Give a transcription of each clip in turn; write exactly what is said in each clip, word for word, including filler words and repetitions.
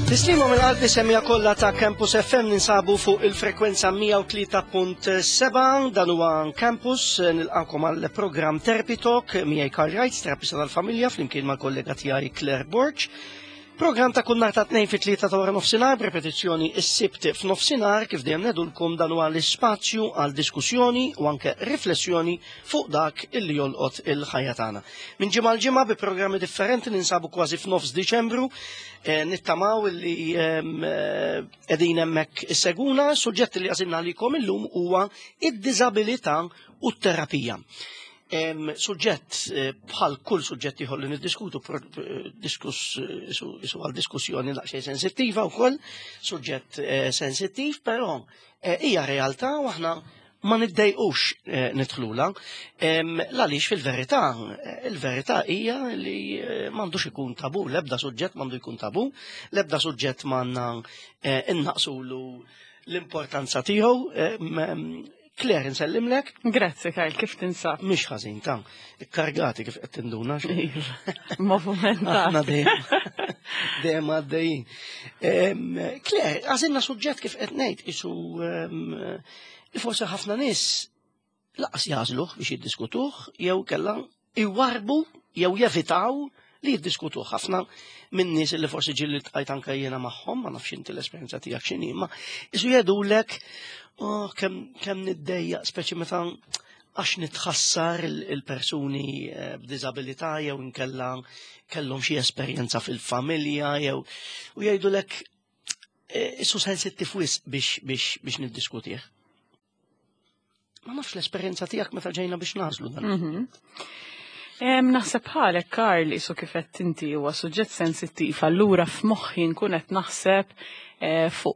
Tislima minn qalbi semmiegħa kollha ta' Campus F M. Ninsabu fuq il-frekwenza mija u tlieta punt sebgħa. Dan huwa Campus. Nilqakom għal programm Therapy Talk miegħi Karl Wright, terapista tal-familja, flimkien mal-kollega tiegħi Claire Borg. Program ta' kull nhar ta' tnejn fit-tlieta ta' wara nofsinhar, b'repetizzjoni is-Sibt f'nofsinhar. Kif dejjem ngħidulkom, dan huwa l-ispazju għal diskussjoni u anke riflessjoni fuq dak illi jolqot il-ħajja tagħna. Minn ġimgħa l ġimgħa bi programmi differenti, ninsabu kważi f'nofs Diċembru, eh, nittamaw illi ehm, eh, qegħdin hemmhekk issegwuna. Suġġett li għażilna għalikom illum huwa id-diżabilità u t-terapija. Em, Suġġett eh, bħal kull suġġett ieħor li niddiskutu, pro- eh, diskuss isu isu għal diskussjoni daqsxejn sensittiva wkoll, suġġett eh, sensittiv, però eh, hija realtà u aħna ma niddejqux eh, nidħlulha. Em, Għaliex fil-verità, eh, il-verità hija li eh, m'għandux ikun tabu, l-ebda suġġett m'għandu jkun tabu, l-ebda suġġett m'għandna eh, innaqsulu l-importanza tiegħu. Em, em, Claire, nsellimlek. Grazzi, Karl, kif tinsab? Mhix ħażin ta', ikkargati kif qed tinduna. Movimenta. Aħna dejjem dejjem għaddejjin. Em, Claire, għażilna suġġett, kif qed ngħid, isu em, li forsi ħafna nies lanqas jagħżluh biex jiddiskutuh jew kellha iwarbu jew jevitaw li jiddiskutuh. Ħafna minn nies li forsi ġieli ltqajt anke jiena magħhom, ma nafx inti l-esperjenza tiegħek x'inhi, ma isu jgħidulek: "Oh, kemm kemm niddejjaq, speċi meta għax nitħassar il- il-persuni eh, b'diżabilità jew inkella kellhom xi esperjenza fil-familja jew", u jgħidulek eh, isu sensittiv wisq biex biex biex niddiskutih. Ma nafx l-esperjenza tiegħek meta ġejna biex nagħżlu dan. Mhm. Em, Naħseb bħalek, Karl, isu kif qed inti, huwa suġġett sensittiv, allura f'moħħi nkun qed naħseb eh, fuq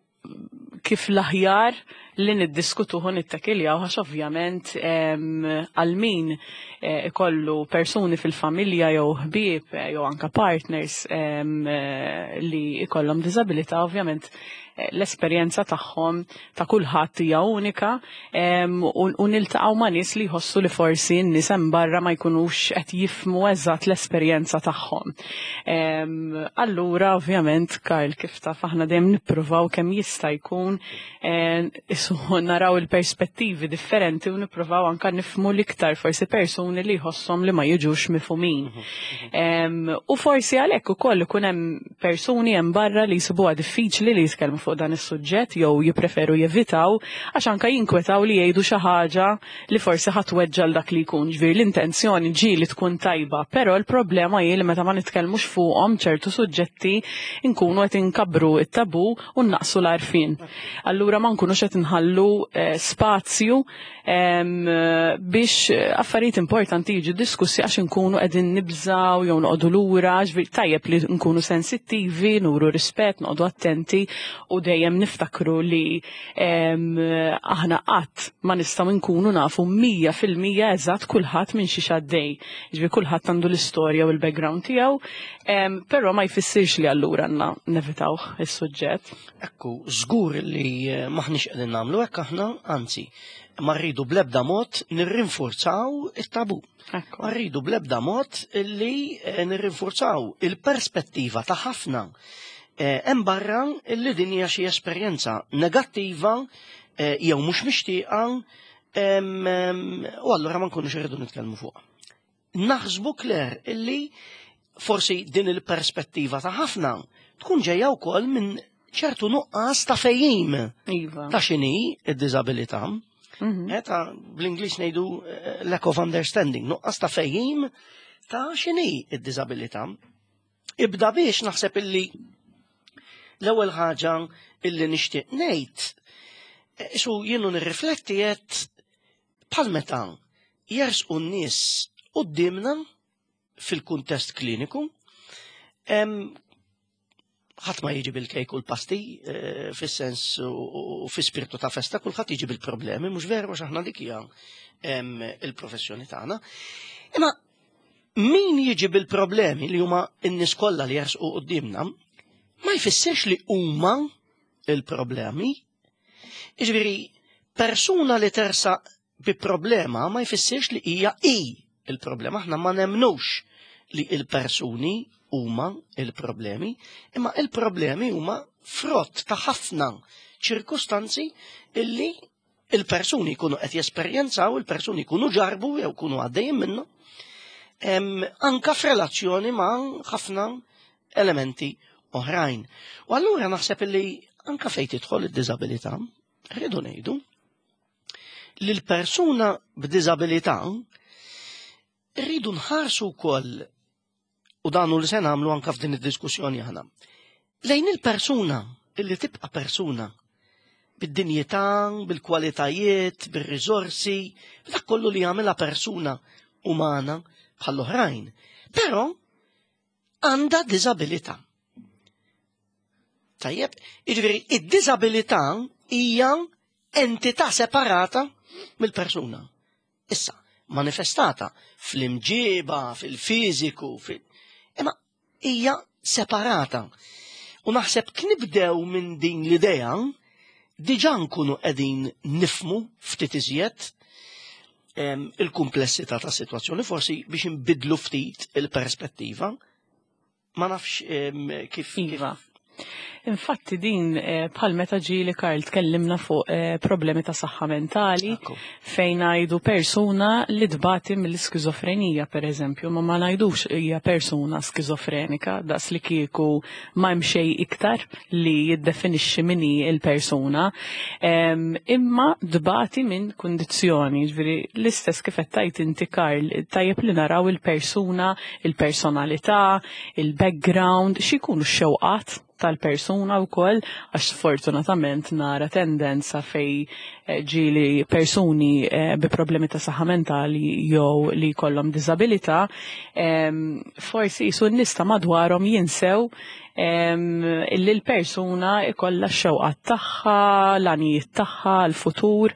kif l-aħjar li niddiskutuh u nittakiljaw, għax ovvjament em, għal min eh, ikollu persuni fil-familja jew ħbieb eh, jew anka partners em, eh, li ikollhom diżabilità, ovvjament eh, l-esperjenza tagħhom ta' kulħadd hija unika em, u u niltaqgħu ma' nies li jħossu li forsi n-nies hemm barra ma jkunux qed jifhmu eżatt l-esperjenza tagħhom. Em, Allura ovvjament, Karl, kif taf, aħna dejjem nippruvaw kemm jista' jkun eh, isu naraw il-perspettivi differenti u nippruvaw anka nifhmu l-iktar forsi persuni li jħosshom li ma jiġux mifhumin. Em, U forsi għalhekk ukoll ikun hemm persuni hemm barra li jsibuha diffiċli li jitkellmu fuq dan is-suġġett jew jippreferu jevitaw għax anka jinkwetaw li jgħidu xi ħaġa li forsi ħa tweġġa' 'l dak li jkun. Ġifieri l-intenzjoni ġieli tkun tajba, però l-problema hi li meta ma nitkellmux fuqhom ċertu suġġetti nkunu qed inkabbru it-tabu u naqsu l-għarfien. Allura ma nkunux qed inħallu eh, spazju em, biex affarijiet importanti jiġu diskussi għax nkunu qegħdin nibżaw jew noqogħdu lura. Ġifieri tajjeb li nkunu sensittivi, nuru rispett, noqogħdu attenti u dejjem niftakru li em, aħna qatt ma nistgħu nkunu nafu mija fil-mija eżatt kulħadd minn xi għaddej. Ġifieri kulħadd għandu l-istorja u l-background tiegħu, em, però ma jfissirx li allura għandna nevitawh is-suġġett. Ekku, żgur li eh, maħniex qegħdin nagħmlu hekk aħna, anzi, ma rridu bl-ebda mod nirrinforzaw it-tabu. Ekku. Ma rridu bl-ebda mod li eh, nirrinforzaw il-perspettiva ta' ħafna eh, hemm barra li din hija xi esperjenza negattiva eh, jew mhux mixtieqa em, em, u allura ma nkunux irridu nitkellmu fuq. Naħsbu, Claire, illi forsi din il-perspettiva ta' ħafna tkun ġejja wkoll minn ċertu nuqqas ta' fehim Iva. ta' x'inhi id-diżabilità. Mhm. Eh, ta' bl-Ingliż ngħidu eh, lack of understanding, nuqqas ta' fehim ta' x'inhi id-diżabilità. Ibda biex naħseb illi l-ewwel ħaġa illi nixtieq ngħid, eh, su jienu nirrifletti qed bħal meta jersqu n-nies quddiemna fil-kuntest kliniku, em, ħadd ma jiġi bil-kejk u l-pasti eh, fis-sens u u fi spiritu ta' festa, kulħadd jiġi bil-problemi, mhux veru, għax aħna dik hija em, il-professjoni tagħna. Imma min jiġi bil-problemi, li huma n-nies kollha li jersqu quddiemna, ma jfissirx li huma il-problemi. Jiġifieri persuna li tersaq bi problema ma jfissirx li hija i il-problema. Aħna ma nemnux li il-persuni huma il-problemi, imma il-problemi huma frott ta' ħafna ċirkustanzi illi il-persuni jkunu qed jesperjenzaw, il-persuni jkunu ġarbu jew jkunu għaddejjin minnu, anka f'relazzjoni ma' ħafna elementi oħrajn. U allura naħseb illi anka fejn tidħol id-diżabilità, rridu ngħidu li l-persuna b'diżabilità rridu nħarsu wkoll, u dan hu li se nagħmlu anka f'din id-diskussjoni aħna, lejn il-persuna illi tibqa' persuna bid-dinjità, bil-kwalitajiet, bir-riżorsi, b'dak kollu li jagħmilha persuna umana bħall-oħrajn. Però għandha diżabilità. Tajjeb, jiġifieri id-diżabilità hija entità separata mill-persuna. Issa, manifestata fl-imġiba, fil-fiżiku, fil imma hija separata. U naħseb knibdew minn din l-idea, diġà nkunu qegħdin nifmu ftit iżjed il-kumplessità ta' situazzjoni, forsi biex nbidlu ftit il-perspettiva. Ma nafx kif. Iva. Infatti din eh, bħal meta ġieli, Karl, tkellimna fuq eh, problemi ta' saħħa mentali fejn ngħidu persuna li tbati mill-iskizofrenija, per eżempju, ma ma ngħidux hija persuna skizofrenika daqs li kieku ma hemm xejn iktar li jiddefinixxi min hi il-persuna, imma tbati minn kundizzjoni, ġifieri l-istess kif qed tgħid inti, Karl, tajjeb li naraw il-persuna, il-personalità, il-background, x'ikunu x-xewqat tal-persuna wkoll, għax sfortunatament nara tendenza fej eh, ġieli persuni eh, bi problemi ta' saħħa mentali jew li jkollhom diżabilità, forsi jisu n-nies ta' madwarhom jinsew illi l-persuna ikolla x-xewqat tagħha, l-għanijiet tagħha, l-futur,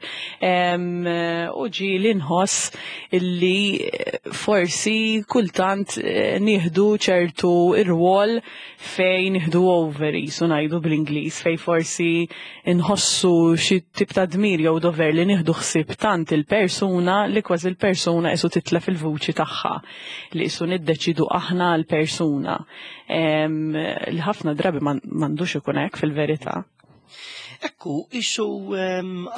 u ġieli nħoss illi forsi kultant eh, nieħdu ċertu ir-rwol fejn nieħdu over, jisu ngħidu bl-Ingliż, fej forsi nħossu xi tip ta' dmir jew dover li nieħdu ħsieb tant il-persuna li kważi il-persuna isu titlef il-vuċi tagħha, li isu niddeċidu aħna l-persuna, li ħafna drabi m'għandux ikun hekk fil-verità. Ekku, isu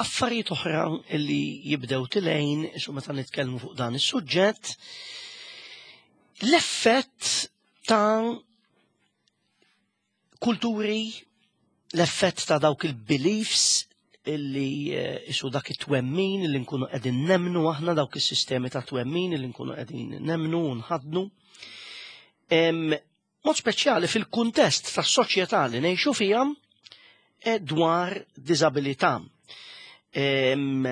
affarijiet oħra li jibdew tilejn, isu meta nitkellmu fuq dan is-suġġett, l-effett ta' kulturi, l-effett ta' dawk il-beliefs illi eh, isu dak it-twemmin illi nkunu qegħdin nemnu aħna, dawk is-sistemi ta' twemmin illi nkunu qegħdin nemnu u nħadnu. Mod speċjali fil-kuntest tas-soċjetà li ngħixu fiha eh, dwar diżabilità. Em,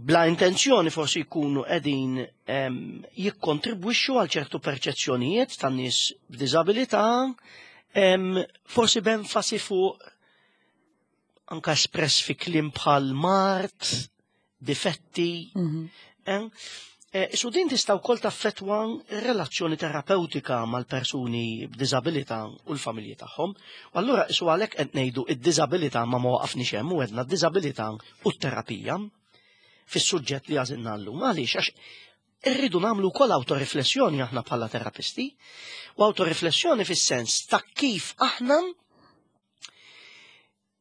bla intenzjoni forsi jkunu qegħdin jikkontribwixxu għal ċertu perċezzjonijiet tan nies b'diżabilità, forsi b'enfasi fuq anka espress fi kliem bħal mard, difetti. Mm -hmm. Su din tista' wkoll taffettwa relazzjoni terapeutika mal-persuni b'diżabilità u l-familji tagħhom. U allura isu għalhekk qed ngħidu id-diżabilità, ma ma waqafniex hemm u għedna d-diżabilità u t-terapija fis-suġġett li għażilna llum. Għaliex? Għax irridu nagħmlu wkoll autoriflessjoni aħna bħala terapisti, u autoriflessjoni fis-sens ta' kif aħna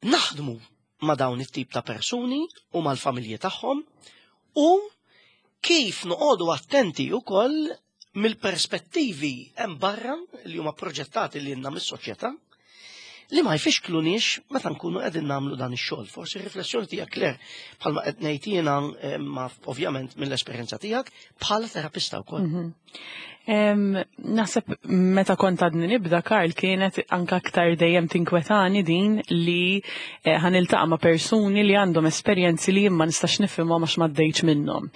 naħdmu ma' dawn it-tip ta' persuni u mal-familji tagħhom u kif noqogħdu attenti wkoll mill-perspettivi hemm barra li huma proġettati li lilna mis-soċjetà li ma jfixkluniex meta nkunu qegħdin nagħmlu dan ix-xogħol. Forsi riflessjoni tiegħek, Claire, bħalma qed ngħid jiena, ma ovvjament mill-esperjenza tiegħek bħala terapista wkoll. Mhm. Naħseb meta kont għadni nibda, Karl, kienet anka aktar dejjem tinkwetani din li eh, ħa niltaqa' ma' persuni li għandhom esperjenzi li ma nistax nifhimhom għax m'għaddejtx minnhom.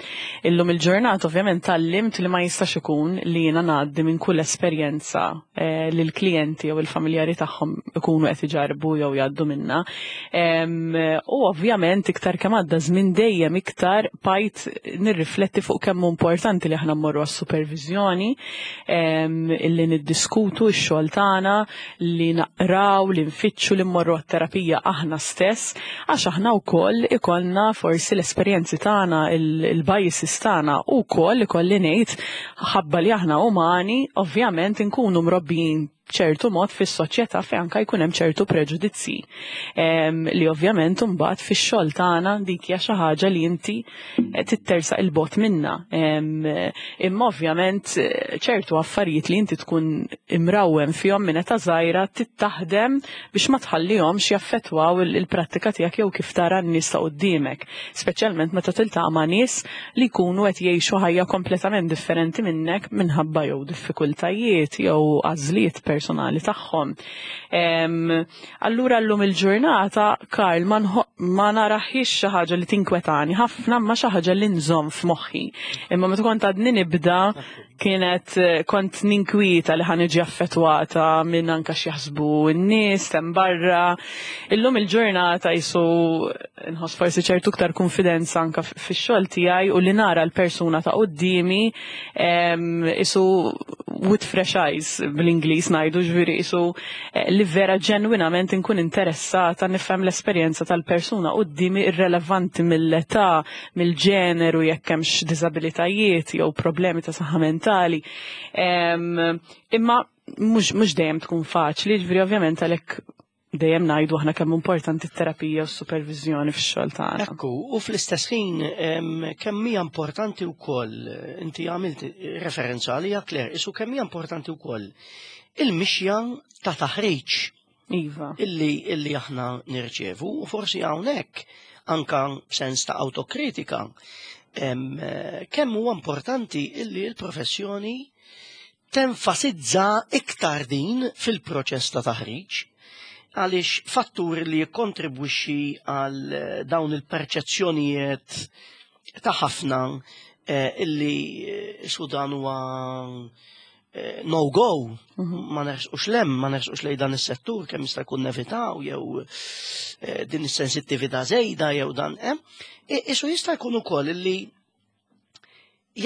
Illum il-ġurnata ovvjament tgħallimt li ma jistax ikun li jiena ngħaddi minn kull esperjenza eh, li l-klijenti jew il-familjari tagħhom ikunu qed iġarbu jew jgħaddu minna. U ovvjament iktar kemm għadda żmien dejjem iktar bqajt nirrifletti fuq kemm importanti li aħna mmorru għas-supervizjoni. Illi niddiskutu x-xogħol tagħna, li naqraw, li nfittxu, li mmorru għat-terapija aħna stess, għax aħna wkoll ikollna forsi l-esperjenzi tagħna, il-biases tagħna u wkoll ikolli ngħid ħabba li aħna umani, ovvjament inkunu mrobbijin ċertu mod fis-soċjetà fejn anke jkun hemm ċertu preġudizzi. Li ovvjament imbagħad fix-xogħol tagħna dik hija xi ħaġa li inti tittersaq il-bogħod minna. Imma ovvjament ċertu affarijiet li inti tkun imrawwem fihom minn età żgħira tittaħdem biex ma tħallihomx jaffettwaw il-prattika tiegħek jew kif tara n-nies ta' quddiemek. Speċjalment meta tiltaqa' ma' nies li jkunu qed jgħixu ħajja kompletament differenti minnek minħabba jew diffikultajiet jew għażliet personali tagħhom. Allura llum il-ġurnata, Karl, ma naraħiex xi ħaġa li tinkwetani ħafna, ma xi ħaġa li nżomm f'moħħi. Imma meta kont għadni nibda kienet kont ninkwieta li ħa niġi affettwata minn anka x'jaħsbu n-nies hemm barra. Illum il-ġurnata jisu nħoss forsi ċertu iktar konfidenza anka fix-xogħol tiegħi u li nara l-persuna ta' quddiemi isu with fresh eyes bl-Ingliż ngħidu, ġifieri isu li vera ġenwinament inkun interessata nifhem l-esperjenza tal-persuna quddiemi irrelevanti mill-età, mill-ġeneru, jekk hemmx diżabilitajiet jew problemi ta' saħħa mentali. Imma mhux dejjem tkun faċli, ġifieri ovvjament għalhekk dejjem ngħidu aħna kemm importanti t-terapija u s-supervizjoni fix-xogħol tagħna. Ekku, u fl-istess ħin kemm hija importanti wkoll, inti għamilt referenza għalija, Claire, isu kemm hija importanti wkoll il-mixja ta' taħriġ. Iva. Illi, illi aħna nirċevu, u forsi hawnhekk anka sens ta' autokritika, kemm huwa importanti illi l-professjoni tenfasizza iktar din fil-proċess ta' taħriġ, għaliex fattur li jikkontribwixxi għal dawn il-perċezzjonijiet ta' ħafna illi su dan huwa no-go, ma nersqux lem, ma nersqux lej dan is-settur kemm jista' jkun nevitaw jew din is-sensittività żejda jew dan hemm. Isu jista' jkun ukoll illi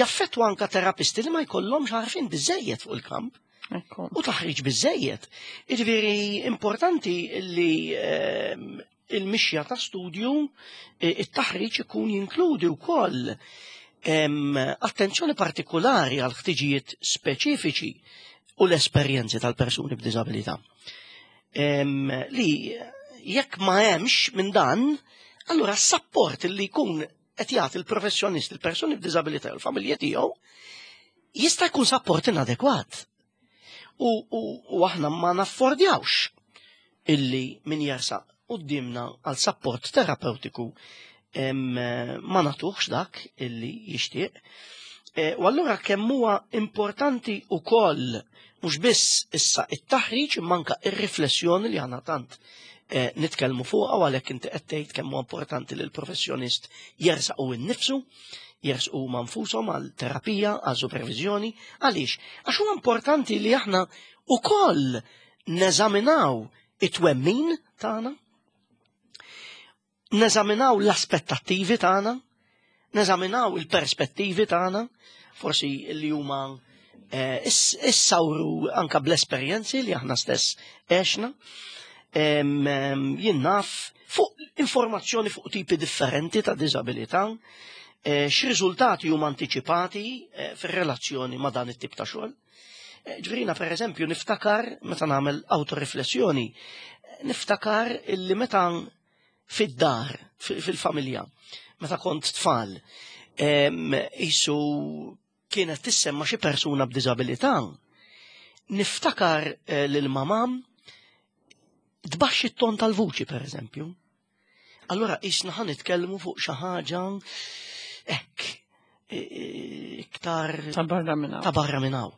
jaffettwa anka terapisti li ma jkollhomx għarfien biżejjed fuq il-kamp. U taħriġ biżejjed. Jiġifieri importanti li il-mixja ta' studju, it-taħriġ ikun jinkludi wkoll attenzjoni partikolari għal ħtiġijiet speċifiċi u l-esperjenzi tal-persuni b'diżabilità. Li jekk ma hemmx minn dan, allura s-sapport li jkun qed jagħti il-professjonist, il-persuni b'diżabilità u l-familja tiegħu jista' jkun sapport inadekwat. U, u, u aħna ma naffordjawx illi min jersaq quddiemna għal sapport terapeutiku ma natuħx dak illi jixtieq. E, u allura kemm huwa importanti ukoll mhux biss issa it-taħriġ imma anke ir-riflessjoni li aħna tant e, nitkellmu fuqha, u għalhekk inti qed tgħid kemm huwa importanti li l-professjonist jersaq u nnifsu, jersqu ma nfushom għal terapija, għal supervizjoni. Għaliex? Għax huwa importanti li aħna ukoll neżaminaw it-twemmin tagħna, neżaminaw l-aspettattivi tagħna, neżaminaw il-perspettivi tagħna, forsi li huma eh, issawru anka bl-esperjenzi li aħna stess għexna. Jien naf fuq informazzjoni fuq tipi differenti ta' diżabilità, eh, x'riżultati huma antiċipati eh, fir-relazzjoni ma' dan it-tip ta' xogħol. Ġifieri, per eżempju, niftakar meta nagħmel autoriflessjoni, niftakar illi meta fid-dar, fil-familja, meta kont tfal, isu kienet tissemma xi persuna b'diżabilità, niftakar lil mamam tbaxxi t-ton tal-vuċi, per eżempju. Allora isna ħa nitkellmu fuq xi ħaġa hekk iktar ta' barra minn hawn. Ta' barra minn hawn.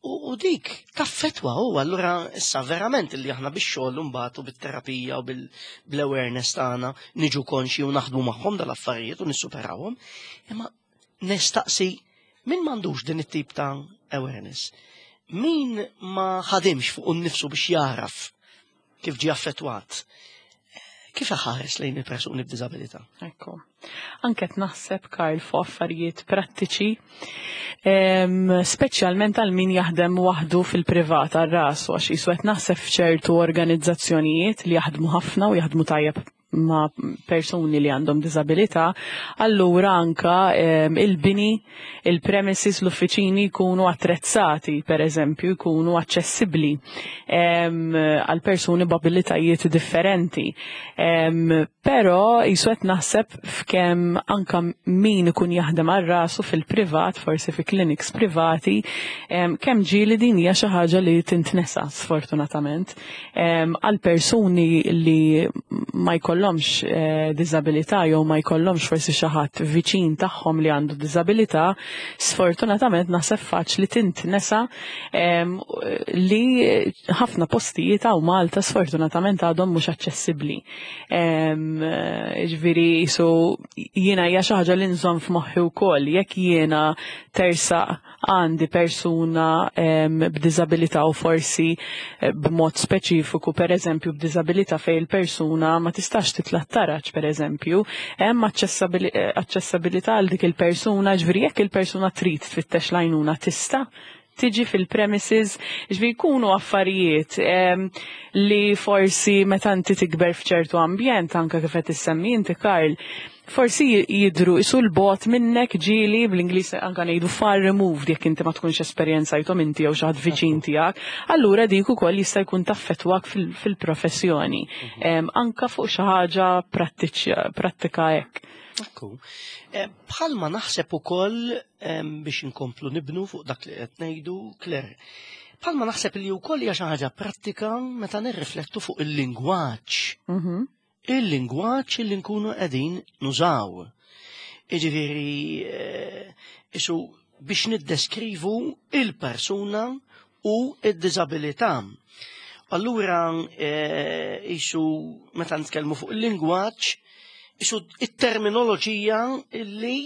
U dik taffetwa u allura issa verament li aħna bix-xogħol mbagħad u bit-terapija u bil-awareness tagħna niġu konxi u naħdmu magħhom dal-affarijiet u nissuperawhom. Imma nistaqsi min m'għandux din it-tip ta' awareness? Min ma ħadimx fuq innifsu biex jaraf kif ġie affettwat? Kif iħares lejn il-persuni b'diżabilità? Ekku. Anke naħseb, Karl, fuq affarijiet prattiċi, speċjalment għal min jaħdem waħdu fil-privat għal rasu, għax jisu qed naħseb f'ċertu organizzazzjonijiet li jaħdmu ħafna u jaħdmu tajjeb ma' persuni li għandhom diżabilità, allura anka il-bini, il-premises, l-uffiċini jkunu attrezzati, per eżempju, jkunu aċċessibbli għal persuni b'abilitajiet differenti. Però jisu qed naħseb f'kemm anka min ikun jaħdem għal rasu fil-privat, forsi fi clinics privati, kemm ġieli din hija xi ħaġa li tintnesa sfortunatament għal persuni li ma jkollhomx eh, diżabilità jew ma jkollhomx forsi xi ħadd viċin tagħhom li għandu diżabilità, sfortunatament naħseb faċli tintnesa li ħafna postijiet hawn Malta sfortunatament għadhom mhux aċċessibbli. Ġifieri jisu jiena hija xi ħaġa li nżomm f'moħħi wkoll jekk jiena tersaq għandi persuna b'diżabilità u forsi eh, b'mod speċifiku, per eżempju, b'diżabilità fejn il-persuna ma tistax titla' taraġ, per eżempju, hemm aċċessibilità għal dik il-persuna, ġifieri jekk il-persuna trid tfittex l-għajnuna tista' tiġi fil-premises, ġifieri jkunu affarijiet li forsi meta inti tikber f'ċertu ambjent, anka kif qed issemmi inti, Karl, forsi jidru isu l-bot minnek, ġieli bl-Ingliż anka ngħidu far removed, jekk inti ma tkunx esperjenzajthom inti jew xi ħadd viċin tiegħek, allura dik ukoll jista' jkun taffettwak fil-professjoni. Mhm. Anka fuq xi ħaġa prattika hekk. Ekku. Eh, bħalma naħseb ukoll biex inkomplu nibnu fuq dak li qed ngħidu, Claire. Bħalma naħseb li wkoll hija xi ħaġa prattika meta nirriflettu fuq il-lingwaġġ. Mhm. Il-lingwaġġ li nkunu qegħdin nużaw. Iġifieri eh, isu biex niddeskrivu il-persuna u id-diżabilità. Allura eh, isu meta nitkellmu fuq il-lingwaġġ, isu it-terminoloġija illi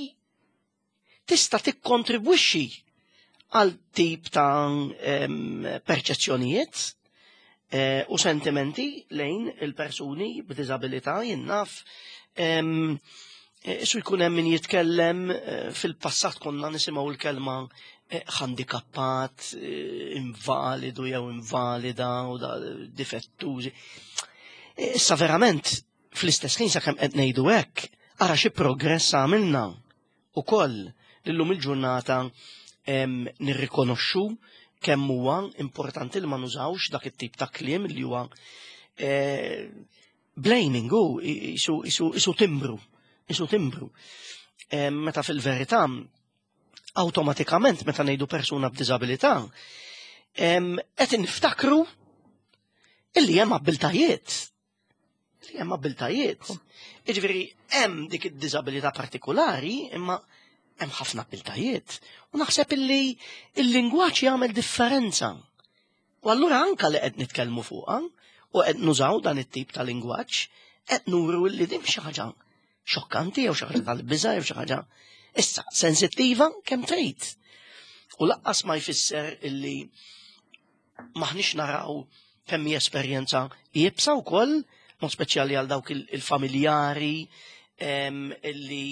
tista' tikkontribwixxi għal tip ta' perċezzjonijiet eh, u sentimenti lejn il-persuni b'diżabilità. Jien naf eh, Isu jkun hemm min jitkellem, eh, fil-passat konna nisimgħu l-kelma handikappat, invalidu jew invalida u da difettużi. Issa verament fl-istess ħin, sakemm qed ngħidu hekk, ara xi progress għamilna ukoll illum il-ġurnata nirrikonoxxu kemm huwa importanti li ma nużawx dak it-tip ta' kliem li huwa eh, blaming u isu, isu, isu timbru, isu timbru. Meta fil-verità awtomatikament meta ngħidu persuna b'diżabilità qed niftakru illi hemm abbiltajiet. Li hemm abbiltajiet. Jiġifieri hemm dik id-diżabilità partikolari, imma hemm ħafna abbiltajiet. U naħseb illi il-lingwaġġ jagħmel differenza. U allura anka li qed nitkellmu fuqha u qed nużaw dan it-tip ta' lingwaġġ, qed nuru li din xi ħaġa xokkanti jew xi ħaġa tal-biża' jew xi ħaġa issa sensittiva kemm trid. U lanqas ma jfisser illi maħniex naraw kemm hija esperjenza iebsa wkoll, mod speċjali għal dawk il-familjari illi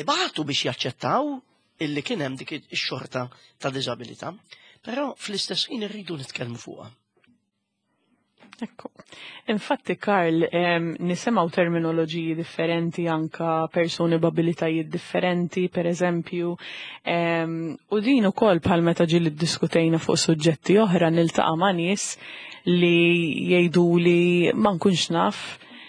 ibatu biex jaċċettaw illi kien hemm dik ix-xorta ta' diżabilità. Però fl-istess ħin irridu nitkellmu fuqha. Ekku. Infatti, Karl, nisimgħu terminoloġiji differenti, anka persuni b'abilitajiet differenti, per eżempju, u din ukoll bħal meta ġieli ddiskutejna fuq suġġetti oħra niltaqa' ma' nies li jgħidu li ma nkunx naf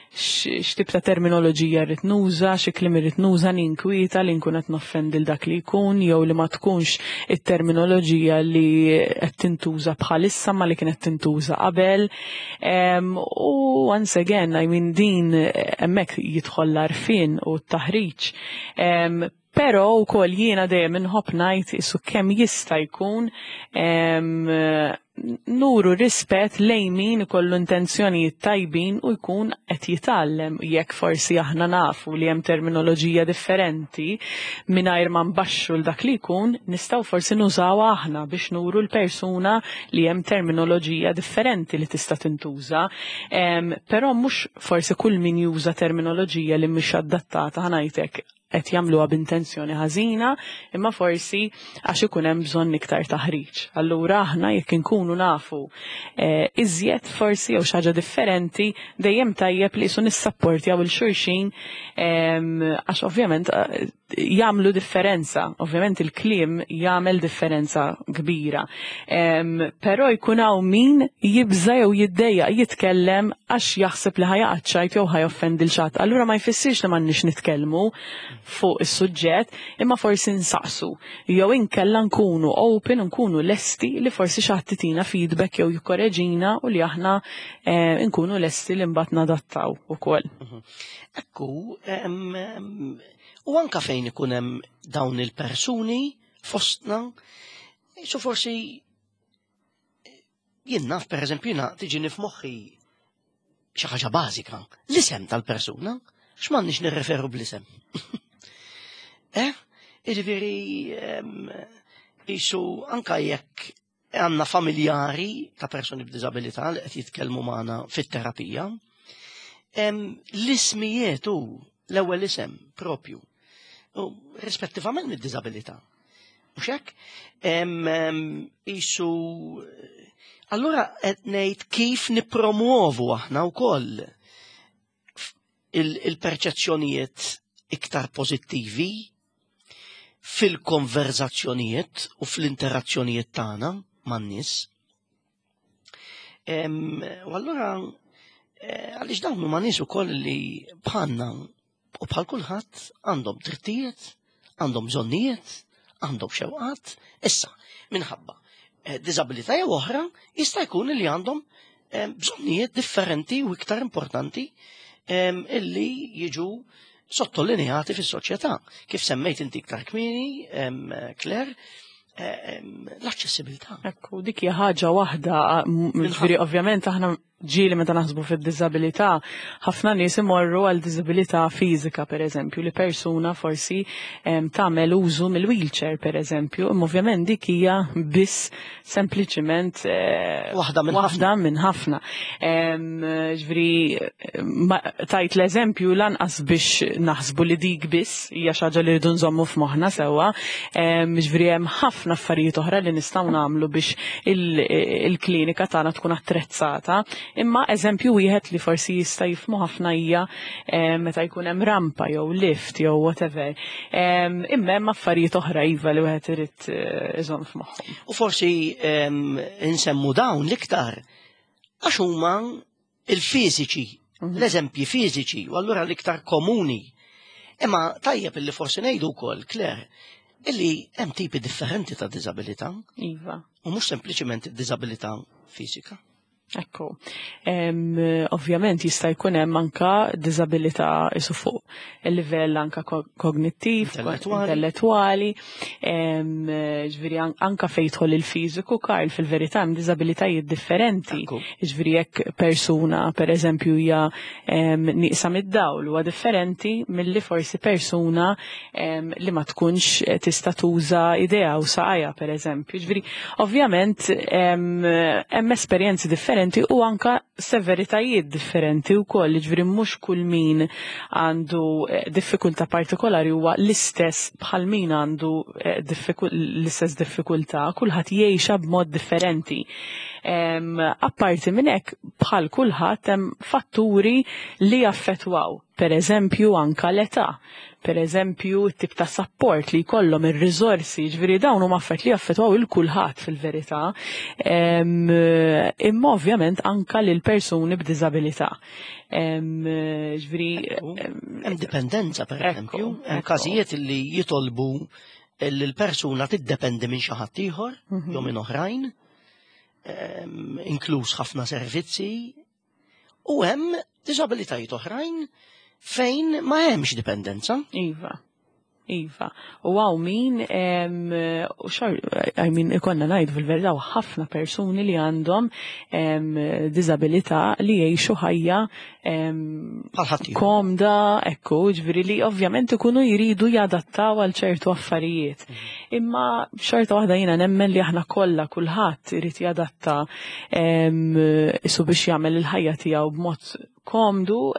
x'tip ta' terminoloġija rrid nuża, xi kliem irrid nuża, ninkwieta li nkun qed noffendi dak li jkun jew li ma tkunx it-terminoloġija li qed tintuża bħalissa ma li kienet tintuża qabel. U once again, I mean, din hemmhekk jidħol l-għarfien u t-taħriġ. Però wkoll jiena dejjem inħobb ngħid isu kemm jista' jkun em, nuru rispett lejn min ikollu intenzjonijiet tajbin u jkun qed jitgħallem. Jekk forsi aħna nafu li hemm terminoloġija differenti, mingħajr ma nbaxxu l dak li jkun, nistgħu forsi nużawha aħna biex nuru l-persuna li hemm terminoloġija differenti li tista' tintuża. Em, Però mhux forsi kull min juża terminoloġija li mhix adattata, ħa ngħidlek, qed jagħmluha b'intenzjoni ħażina, imma forsi għax ikun hemm bżonn iktar taħriġ. Allura aħna jekk inkunu nafu eh, iżjed forsi jew xi ħaġa differenti, dejjem tajjeb li qisu nissapportjaw lil xulxin em, għax ovvjament eh, jagħmlu differenza, ovvjament il-kliem jagħmel differenza kbira. Em, Però jkun hawn min jibża jew jiddejjaq jitkellem għax jaħseb li ħa jaqa' ċajt jew ħa joffendi lil xi ħadd. Allura ma jfissirx li m'għandniex nitkellmu fuq is-suġġett, imma forsi nsaqsu. Jew inkella nkunu open, nkunu lesti li forsi xi ħadd itina feedback jew jikkoreġina u li aħna eh, nkunu lesti li mbagħad nadattaw ukoll. Ekku, em, em, u anka fejn ikun hemm dawn il-persuni fostna, so forsi jien naf, per eżempju, jiena tiġini f'moħħi xi ħaġa bażika, l-isem tal-persuna, x'm'għandniex nirreferu bl-isem? Eh? Jiġifieri em, qisu anka jekk għandna familjari ta' persuni b'diżabilità li qed jitkellmu magħna fit-terapija, em, l-ismijiet u l-ewwel isem propju, u rispettivament mid-diżabilità. Mhux hekk? Em, em, Qisu allura qed ngħid kif nippromuovu aħna wkoll il-perċezzjonijiet iktar pożittivi fil-konverzazzjonijiet u fl-interazzjonijiet tagħna man-nies. Em, U allura eh, għaliex dawn huma nies ukoll li bħalna u bħal kulħadd għandhom drittijiet, għandhom bżonnijiet, għandhom xewqat. Issa, minħabba eh, diżabilità jew oħra jista' jkun li għandhom eh, bżonnijiet differenti u iktar importanti em, illi jiġu sottolineati fis-soċjetà. Kif semmejt inti iktar kmieni, em, Claire, em, l-aċċessibilità. Ekku, dik hija ħaġa waħda, m- ġifieri ovvjament aħna ġieli meta naħsbu fid-diżabilità, ħafna nies imorru għal diżabilità fiżika, per eżempju, li persuna forsi em, tagħmel użu mill-wheelchair, per eżempju, imma ovvjament dik hija biss sempliċiment eh, Waħda minn waħda minn ħafna. Em, Ġifieri ma- tajt l-eżempju lanqas biex naħsbu li dik biss hija xi ħaġa li rridu nżommu f'moħħna sewwa. Em, Ġifieri hemm ħafna affarijiet oħra li nistgħu nagħmlu biex il- il-klinika tagħna tkun attrezzata. Imma eżempju wieħed li forsi jista' jifhmu ħafna hija eh, meta jkun hemm rampa jew lift jew whatever. Em, Imma hemm affarijiet oħra, iva, li wieħed irid eh, iżomm f'moħħu. U forsi em, insemmu dawn l-iktar għax huma il-fiżiċi, l-eżempji fiżiċi, u allura l-iktar komuni. Imma tajjeb illi forsi ngħidu wkoll, Claire, illi hemm tipi differenti ta' diżabilità Iva. u mhux sempliċiment id-diżabilità fiżika. Ekku. Em, ovvjament jista' jkun hemm anka diżabilità isu fuq il-livell anka ko- kognittiv, Intellettwali. Intellettwali, em, ġifieri an- anka fejn jidħol il-fiżiku, Karl, fil-verità hemm diżabilitajiet differenti. Ekku. Ġifieri jekk persuna, per eżempju, hija em, nieqsa mid-dawl, huwa differenti milli forsi persuna em, li ma tkunx eh, tista' tuża idejha u saqajha, per eżempju. Ġifieri ovvjament em, hemm esperjenzi differenti u anka severitajiet differenti wkoll, ġifieri mhux kull min għandu eh, diffikultà partikolari huwa l-istess bħal min għandu eh, diffiku- l-istess diffikultà, kulħadd jgħixha b'mod differenti. Em, Apparti minn hekk, bħal kulħadd hemm fatturi li jaffettwaw, per eżempju anka l-età, per eżempju t-tip ta' support li jkollhom, ir-riżorsi, ġifieri dawn huma affarijiet li jaffettwaw lil kulħadd fil-verità. Em, Imma ovvjament anka lil persuni b'diżabilità. Em, Ġifieri Hemm dipendenza, per Ekku, eżempju, hemm ekku. każijiet li jitolbu li l-persuna tiddependi minn xi ħadd ieħor Mhm. jew minn oħrajn, em, inkluż ħafna servizzi, u hemm diżabilitajiet oħrajn fejn ma hemmx dipendenza. Iva. Iva, u hawn min, u xor, I mean, ikollna ngħidu fil-verità, ħafna persuni li għandhom diżabilità li jgħixu ħajja komda, ekku, ġifieri li ovvjament ikunu jridu jadattaw għal ċertu affarijiet. Mhm. Imma xorta waħda jiena nemmen li aħna kollha, kulħadd irid jadatta isu biex jagħmel il-ħajja tiegħu b'mod komdu,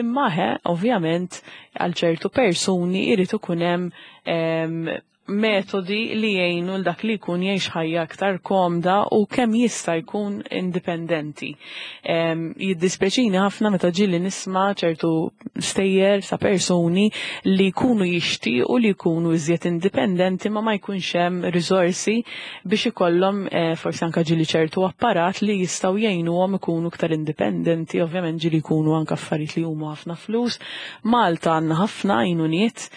imma he, ovvjament, għal ċertu persuni jrid ikun hemm metodi li jgħinu l dak li jkun jgħix ħajja aktar komda u kemm jista' jkun indipendenti. Jiddispjaċini ħafna meta ġieli nisma' ċertu stejjer sa' persuni li jkunu jixtiequ li jkunu iżjed indipendenti, ma ma jkunx hemm riżorsi biex ikollhom eh, forsi anka ġieli ċertu apparat li jistgħu jgħinuhom ikunu iktar indipendenti. Ovvjament ġieli jkunu anka affarijiet li huma ħafna flus. Malta għandna ħafna għajnuniet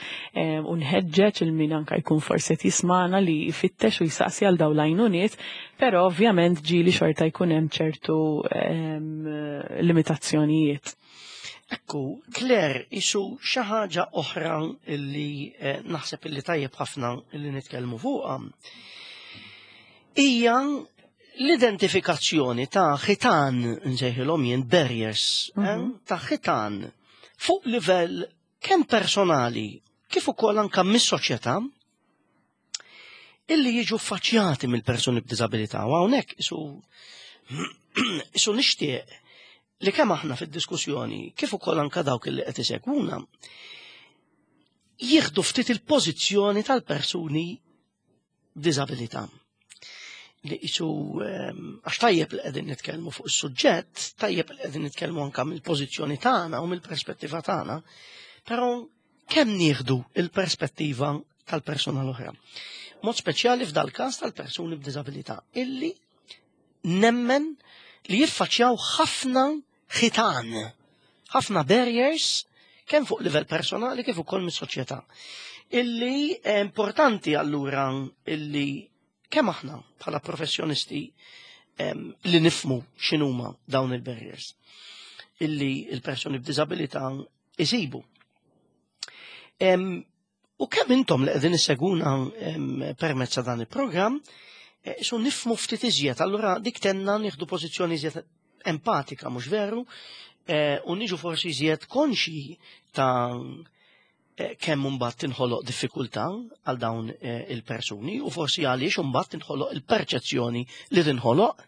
u nħeġġeġ il min anka jkun forsi qed jismana li jfittex u jsaqsi għal dawn l-għajnuniet, però ovvjament ġieli xorta jkun hemm ċertu limitazzjonijiet. Ekku, Claire, isu xi ħaġa oħra illi eh, naħseb illi tajjeb ħafna illi nitkellmu fuqha hija l-identifikazzjoni ta' ħitan, nsejħilhom jien barriers, eh, mhm. ta' ħitan fuq livell kemm personali kif ukoll anke mis-soċjetà illi jiġu faċjati mill-persuni b'diżabilità. U hawnhekk isu isu nixtieq li kemm aħna fid-diskussjoni kif ukoll anke dawk illi qed isegwuna jieħdu ftit il-pożizzjoni tal-persuni b'diżabilità. Li isu ehm, għax tajjeb li qegħdin nitkellmu fuq is-suġġett, tajjeb li qegħdin nitkellmu anke mill-pożizzjoni tagħna u mill-perspettiva tagħna, però kemm nieħdu il-perspettiva tal-persuna l-oħra? Mod speċjali f'dal każ tal-persuni b'diżabilità illi nemmen li jiffaċċjaw ħafna ħitan, ħafna barriers, kemm fuq livell personali kif ukoll mis-soċjetà. Illi importanti allura illi kemm aħna bħala professjonisti li nifhmu x'inhuma dawn il-barriers illi il-persuni b'diżabilità isibu. U kemm intom li qegħdin issegwuna permezz ta' dan il-programm, eh, su nifhmu ftit iżjed, allura dik tenna nieħdu pożizzjoni iżjed empatika, mhux veru, eh, u niġu forsi iżjed konxi ta' eh, kemm imbagħad tinħoloq diffikultà għal dawn il-persuni u forsi għaliex imbagħad tinħoloq il-perċezzjoni li tinħoloq,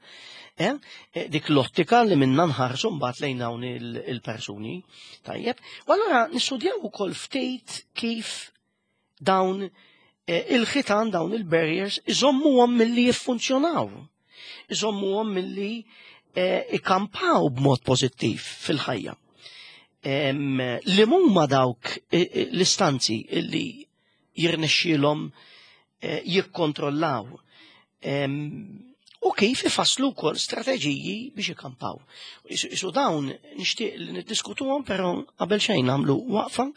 dik l-ottika li minna nħarsu mbagħad lejn dawn il-persuni. Tajjeb. U allura nistudjaw ukoll ftit kif dawn eh, il-ħitan, dawn il-barriers, iżommuhom milli jiffunzjonaw. Iżommuhom milli eh, ikampaw b'mod pożittiv fil-ħajja. Li huma dawk eh, l-istanzi illi jirnexxielhom jikkontrollaw u kif ifasslu wkoll strateġiji biex ikampaw. Isu dawn nixtieq li niddiskutuhom, però qabel xejn nagħmlu waqfa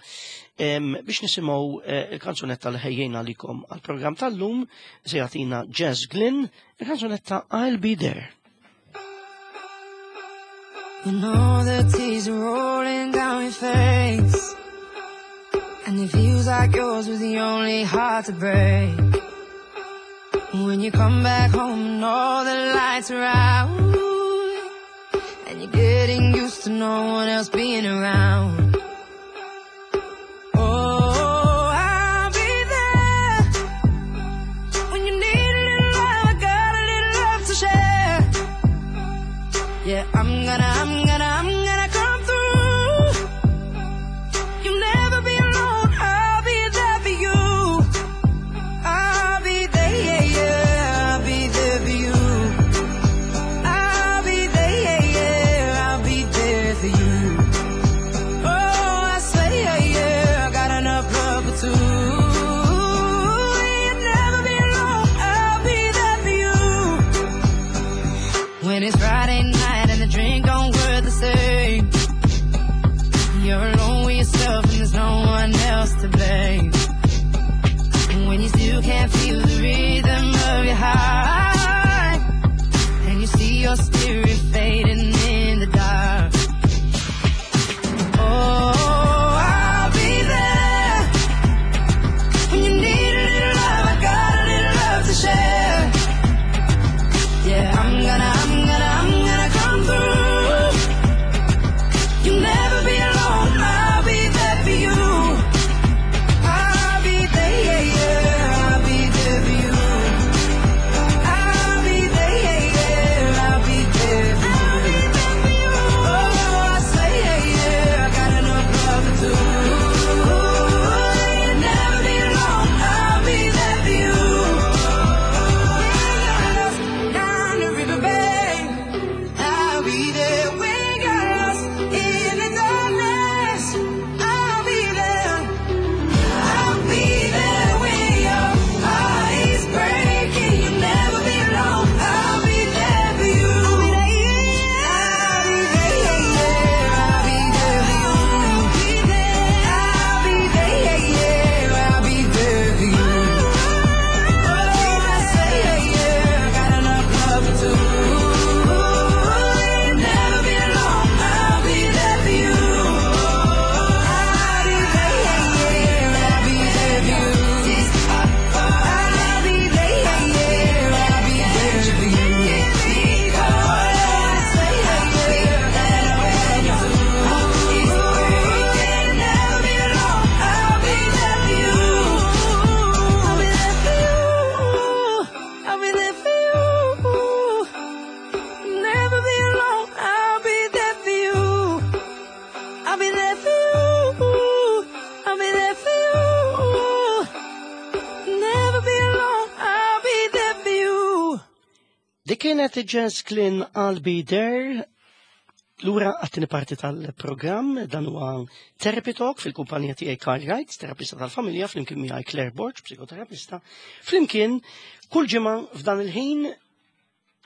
biex nisimgħu eh, il-kanzunetta li ħejjejna għalikom għall-programm tal-lum. Se jagħtina Jess Glynne il-kanzunetta "I'll Be There". You know the tears are rolling down your face, and it feels like yours was the only heart to break. When you come back home and all the lights are out, and you're getting used to no one else being around. Oh, I'll be there when you need a little love. I got a little love to share. Yeah, I'm gonna, I'm gonna, I'm gonna come through. You'll never be alone. I'll be there for you. I'll be there, yeah, yeah. I'll be there for you. I'll be there, yeah, yeah. I'll be there for you. Oh, I swear, yeah, yeah. I got enough love for two. You'll never be alone. I'll be there for you. When it's Friday night and the drink don't work the same, you're alone with yourself and there's no one else to blame. And when you still can't feel the rhythm of your heart, and you see your spirit fading in the dark. Oh, I'll be there Kienet Jess Glynne, I'll Be There. Lura għat-tieni parti tal-programm, dan huwa Therapy Talk fil-kumpanija tiegħi Karl Wright, terapista tal-familja, flimkien miegħi Claire Borg, psikoterapista. Flimkien kull ġimgħa f'dan il-ħin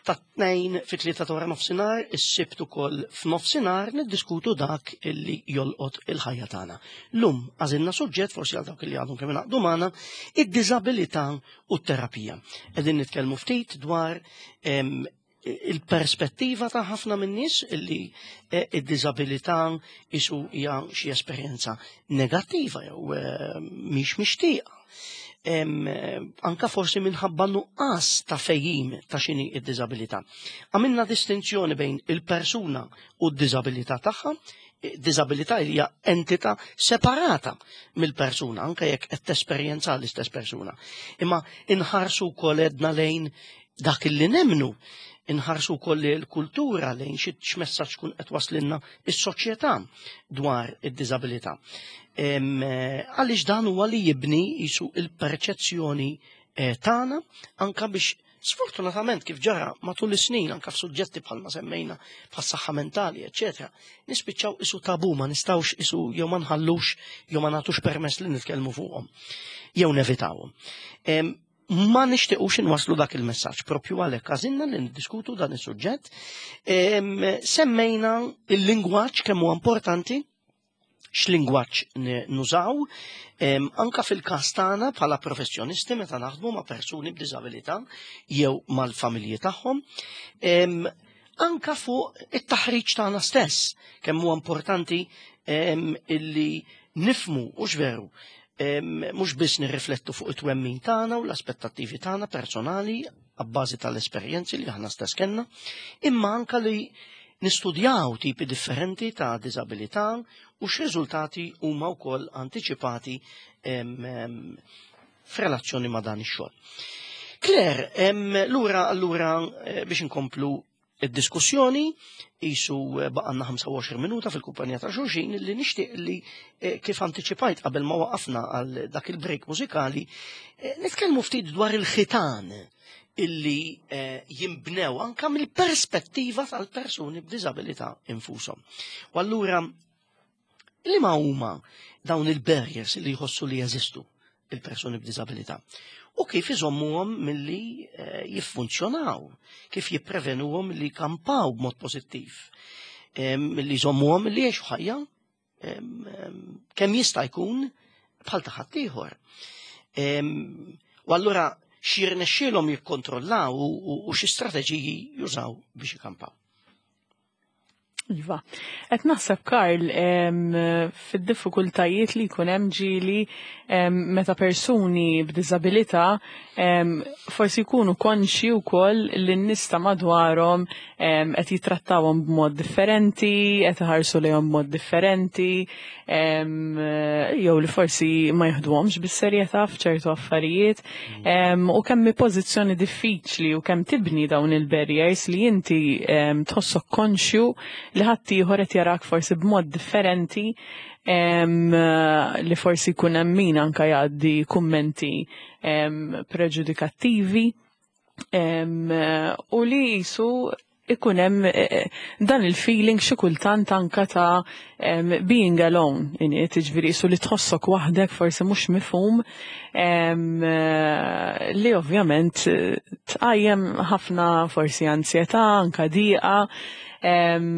ta' tnejn fi tlieta ta' wara nofsinhar, is-Sibt ukoll f'nofsinhar, niddiskutu dak illi jolqot il-ħajja tagħna. Lum għażilna suġġett, forsi għal dawk illi għadhom kemm ingħaqdu magħna, id-diżabilità u t-terapija. Qegħdin nitkellmu ftit dwar em, il-perspettiva ta' ħafna min-nies illi eh, id-diżabilità isu hija xi esperjenza negattiva jew eh, mhix mixtieqa. Em, eh, anka forsi minħabba nuqqas ta' fehim ta' x'inhi id-diżabilità. Għamilna distinzjoni bejn il-persuna u d-diżabilità tagħha. Diżabilità hija entità separata mill-persuna, anka jekk qed tesperjenza l-istess persuna. Imma inħarsu wkoll edna lejn dak illi nemnu, inħarsu wkoll l-kultura, lejn xi x'messaġġ tkun qed waslinna is-soċjetà dwar id-diżabilità. Em, eh, Għaliex dan huwa li jibni jisu il-perċezzjoni eh, tagħna, anka biex sfortunatament, kif ġara matul is-snin anka f'suġġetti bħalma semmejna, bħas-saħħa mentali, eċetera, nispiċċaw isu tabu, ma nistgħux isu jew ma nħallux jew ma nagħtux permess li nitkellmu fuqhom jew nevitawhom. Em, Ma nixtiequx inwaslu dak il-messaġġ, propju għalhekk għażilna li niddiskutu dan is-suġġett. Em, Semmejna il-lingwaġġ, kemm huwa importanti x'lingwaġġ n- nużaw, em, anka fil-każ tagħna bħala professjonisti meta naħdmu ma' persuni b'diżabilità jew mal-familji tagħhom. Em, anka fuq it-taħriġ tagħna stess, kemm huwa importanti em, illi nifmu u veru mhux biss nirriflettu fuq it-twemmin tagħna u l-aspettattivi tagħna personali abbażi tal-esperjenzi li aħna stess kellna, imma anka li nistudjaw tipi differenti ta' diżabilità u x'riżultati huma wkoll antiċipati em, em, f'relazzjoni ma' dan ix-xogħol. Claire, em, lura allura eh, biex inkomplu id-diskussjoni, jisu eh, baqanna ħamsa u għoxrin minuta fil-kumpanija ta' xulxin, li nixtieq li eh, kif antiċipajt qabel ma waqafna għal dak il-break mużikali, eh, nitkellmu ftit dwar il-ħitan illi eh, jimbnew anka mill-perspettiva tal-persuni b'diżabilità infushom. U allura li ma huma dawn il-barriers li jħossu li jeżistu il-persuni b'diżabilità u kif iżommuhom milli eh, jiffunzjonaw, kif jipprevenuhom milli jkampaw b'mod pożittiv, eh, milli jżommuhom milli jgħixu ħajja em, em, kemm jista' jkun bħal ta' ħaddieħor. Em, U allura x'jirnexxielhom jikkontrollaw u, u, u xi strateġiji jużaw biex ikampaw. Iva. Et naħseb, Karl, em, fid-diffikultajiet li jkun hemm ġieli em, meta persuni b'diżabilità em, forsi jkunu konxi wkoll li n-nies ta' madwarhom em, qed jitrattawhom b'mod differenti, qed iħarsu lejhom b'mod differenti, em, jew li forsi ma jieħduhomx bis-serjetà f'ċertu affarijiet, em, u kemm hi pożizzjoni diffiċli u kemm tibni dawn il-barriers li inti em, tħossok konxju li ħaddieħor qed jarak forsi b'mod differenti, em, li forsi jkun hemm min anka jgħaddi kummenti em, preġudikattivi em, u li jisu ikun hemm eh, dan il-feeling xi kultant anka ta' em, being alone, ini, tiġifieri jisu li tħossok waħdek, forsi mhux mifhum, em, eh, li ovvjament eh, tqajjem ħafna forsi ansjetà, anka diqa, em,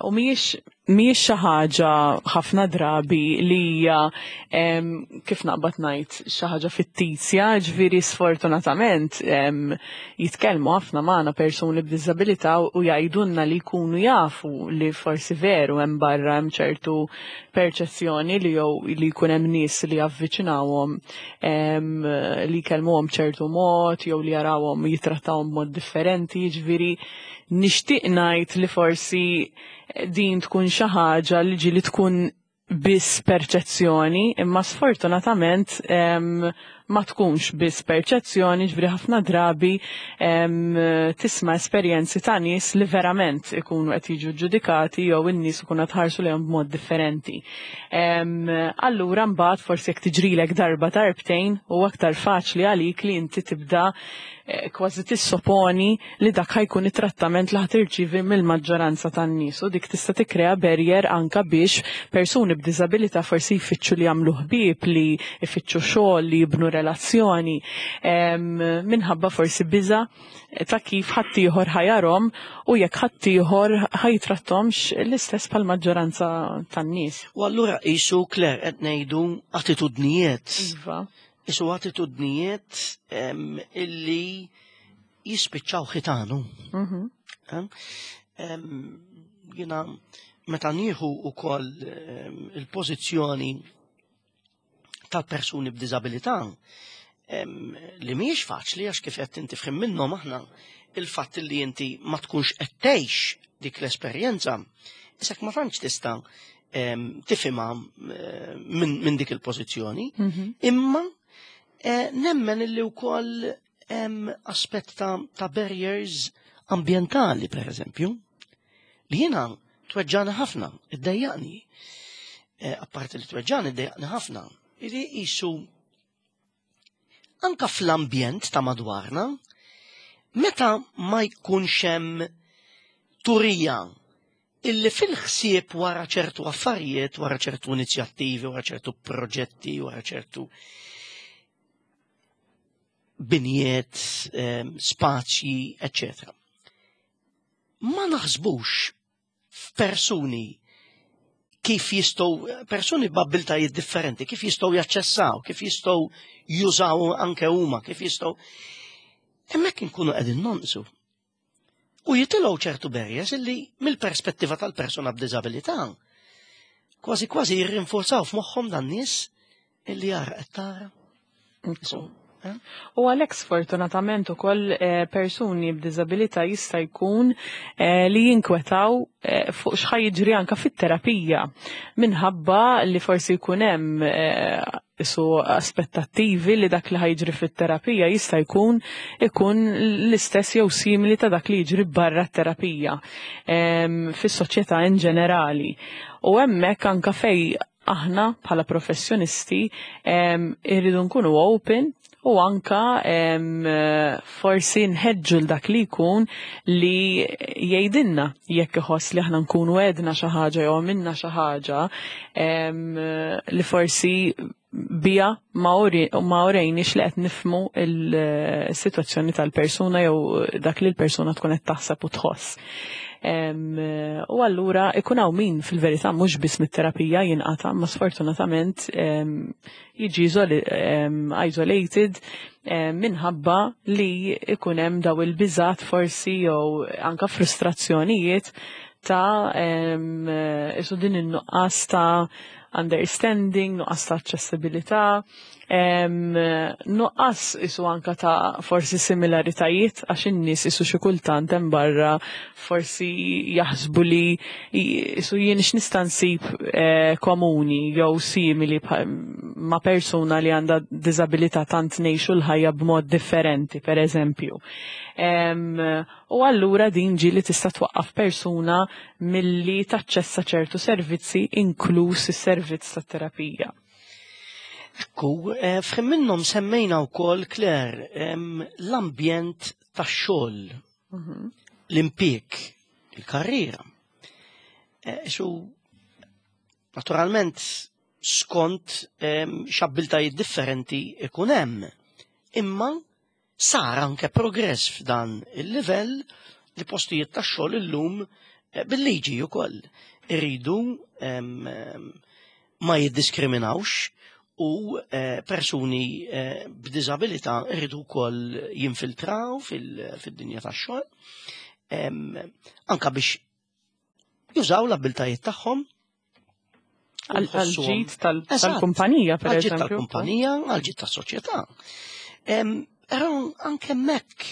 u mhijiex mhijiex xi ħaġa ħafna drabi li hija em, kif naqbad ngħid, xi ħaġa fittizja, ġifieri sfortunatament em, jitkellmu ħafna magħna persuni b'diżabilità u jgħidulna li jkunu jafu li forsi veru hemm barra hemm ċertu perċezzjoni li jew li jkun hemm nies li javviċinawhom em, li jkellmuhom ċertu mod jew li jarawhom jitrattawhom b'mod differenti, ġifieri nixtieq ngħid li forsi din tkun xi ħaġa li ġieli tkun biss perċezzjoni, imma sfortunatament em, Ma tkunx biss perċezzjoni, ġifieri ħafna drabi tisma' esperjenzi ta' nies li verament ikunu qed jiġu ġudikati jew in-nies ikunu qed ħarsu lejhom b'mod differenti. Allura mbagħad forsi jekk tiġrilek darba darbtejn u aktar faċli għalik li inti tibda eh, kważi tissoponi li dak ħa jkun it-trattament li ħa tirċievi mill-maġġoranza tan-nies u dik tista' tikkrea barrier anka biex persuni b'diżabilità forsi jfittxu li jagħmlu ħbieb, li jfittxu xogħol, li jibnu relazzjoni minħabba forsi biża ta' kif ħaddieħor ħa jarahom u jekk ħaddieħor ħa jittratthomx l-istess bħal-maġġoranza tan-nies. U allura qisu, Claire, qed ngħidu attitudnijiet. Iva. Qisu attitudnijiet illi jispiċċaw ħitanu. Mhm. Jiena meta nieħu ukoll il-pożizzjoni tal-persuni b'diżabilità, li mhijiex faċli għax kif qed inti f'ħin minnhom aħna il-fatt li inti ma tkunx qed tgħix dik l-esperjenza, isek ma tantx tista' tifhimha minn min dik il-pożizzjoni, Mhm. imma eh, nemmen illi wkoll hemm aspett ta', ta' barriers ambientali, per eżempju, li jiena tweġġani ħafna, iddejjaqni. Eh, apparti li tweġġani, iddejjaqni ħafna. Illi qisu anka fl-ambjent ta' madwarna, meta ma jkunx hemm turija illi fil-ħsieb wara ċertu affarijiet, wara ċertu inizjattivi, wara ċertu proġetti, wara ċertu binjiet, eh, spazji, eccetera. Ma naħsbux f'persuni kif jistgħu, persuni b'abbiltajiet differenti, kif jistgħu jaċċessaw, kif jistgħu jużaw anke huma, kif jistgħu. Hemmhekk inkunu qegħdin nonqsu. U jitilgħu ċertu barriers illi mill-perspettiva tal-persuna b'diżabilità kważi kważi jirrinforzaw f'moħħhom dan nies illi jara qed tara. So, eh? U għalhekk sfortunatament ukoll eh, persuni b'diżabilità jista' jkun eh, li jinkwetaw eh, fuq x'ħa jiġri anka fit-terapija minħabba li forsi jkun hemm eh, su aspettattivi li dak li ħa jiġri fit-terapija jista' jkun ikun l-istess jew simili ta' dak li jiġri barra t-terapija em, fis-soċjetà in ġenerali. U hemmhekk anka fej aħna bħala professjonisti em, irridu nkunu open u anka em, forsi nħeġġu l dak li jkun li jgħidilna jekk iħoss li aħna nkunu għedna xi ħaġa jew għamilna xi ħaġa em, li forsi bija ma uri- ma urejniex li qed nifhmu il-sitwazzjoni tal-persuna jew dak li l-persuna tkun qed taħseb u tħoss. Em, U allura ikun hawn min fil-verità mhux biss mit-terapija jinqata' ma sfortunatament em, jiġi isoli- em, isolated em, minħabba li ikun hemm daw il-biżat forsi jew anka frustrazzjonijiet ta' em, isu din in-nuqqas ta' understanding, nuqqas ta' aċċessibilità, em, nuqqas isu anka ta' forsi similaritajiet għax in-nies isu xi kultant hemm barra forsi jaħsbu li isu jien x'nista' nsib eh, komuni jew simili bħal- ma' persuna li għandha diżabilità tant ngħixu l-ħajja b'mod differenti, per eżempju. Em, u allura din ġieli tista' twaqqaf persuna milli taċċessa ċertu servizzi inkluż is-servizz tat-terapija. Ekku, eh, f'ħin minnhom semmejna wkoll, Claire, em, l-ambjent tax-xogħol, l-impjieg, il-karriera. Eh, Su, naturalment, skont em, x'abbiltajiet differenti ikun hemm. Imma sar anke progress f'dan il-livell li postijiet tax-xogħol illum eh, bil-liġi wkoll iridu em, em, ma jiddiskriminawx u eh, persuni eh, b'diżabilità iridu wkoll jinfiltraw fil- fid-dinja tax-xogħol em, anka biex jużaw l-abbiltajiet tagħhom u Għal jħossuhom- ġid tal- Eżatt. tal-kumpanija, per għal-ġid eżempju. tal-kumpanija, għal-ġid tas-soċjetà. Em, Però anke hemmhekk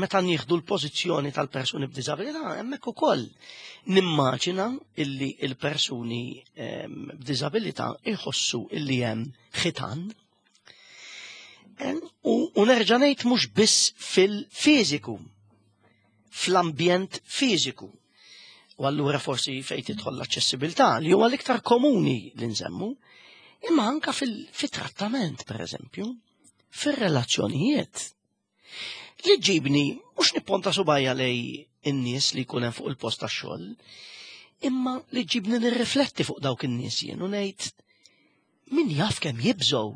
meta nieħdu l-pożizzjoni tal-persuni b'diżabilità, hemmhekk ukoll nimmaġina illi il-persuni em, b'diżabilità jħossu illi hemm ħitan. U, u nerġa' ngħid mhux biss fil-fiżiku, fl-ambjent fiżiku. U allura forsi fejn tidħol l-aċċessibilità li huwa l-iktar komuni li nsemmu, imma anka fil-trattament, per eżempju, fir-relazzjonijiet. Li ġibni, mhux nipponta subgħajja lejn in-nies li jkun hemm fuq il-post tax-xogħol, imma li ġibni nirrifletti fuq dawk in-nies jien u ngħid min jaf kemm jibżgħu,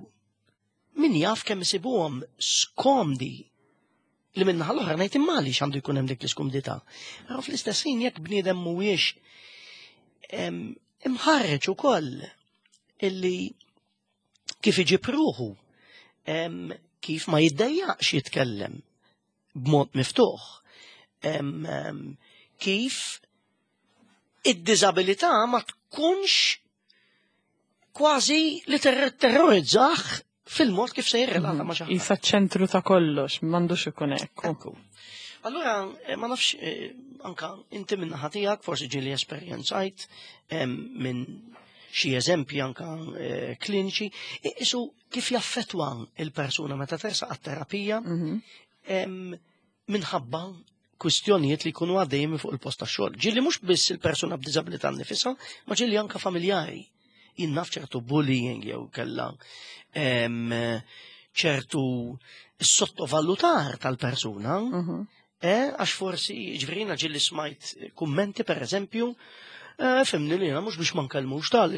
min jaf kemm isibuhom skomdi li minna l-oħra ngħid imma għaliex għandu jkun hemm dik l-iskumdità. Però fl-istess ħin jekk bniedem mhuwiex imħarreġ ukoll illi kif iġib ruħu, kif ma jiddejjaqx jitkellem b'mod miftuħ, kif id-diżabilità ma tkunx kważi li terrorizzah fil-mod kif se jirrelata ma' xi ħadd. Isa ċentru ta' kollox, m'għandux ikun hekk. Ekku. Allura, eh, ma nafx, eh, anka inti minn naħa tiegħek, forsi ġieli esperjenzajt minn xi eżempji anka eh, kliniċi, isu kif jaffetwa il-persuna meta tersaq għat-terapija mhm. minħabba kwistjonijiet li jkunu għaddejjin fuq il-post tax-xogħol. Ġieli mhux biss il-persuna b'diżabilità nifisha, ma ġieli anka familjari. Jien naf ċertu bullying jew kella ċertu sottovalutar tal-persuna, mhm. eh, għax forsi ġvrina ġieli smajt kummenti per eżempju, eh, fhimni li mhux biex ma nkellmux tal,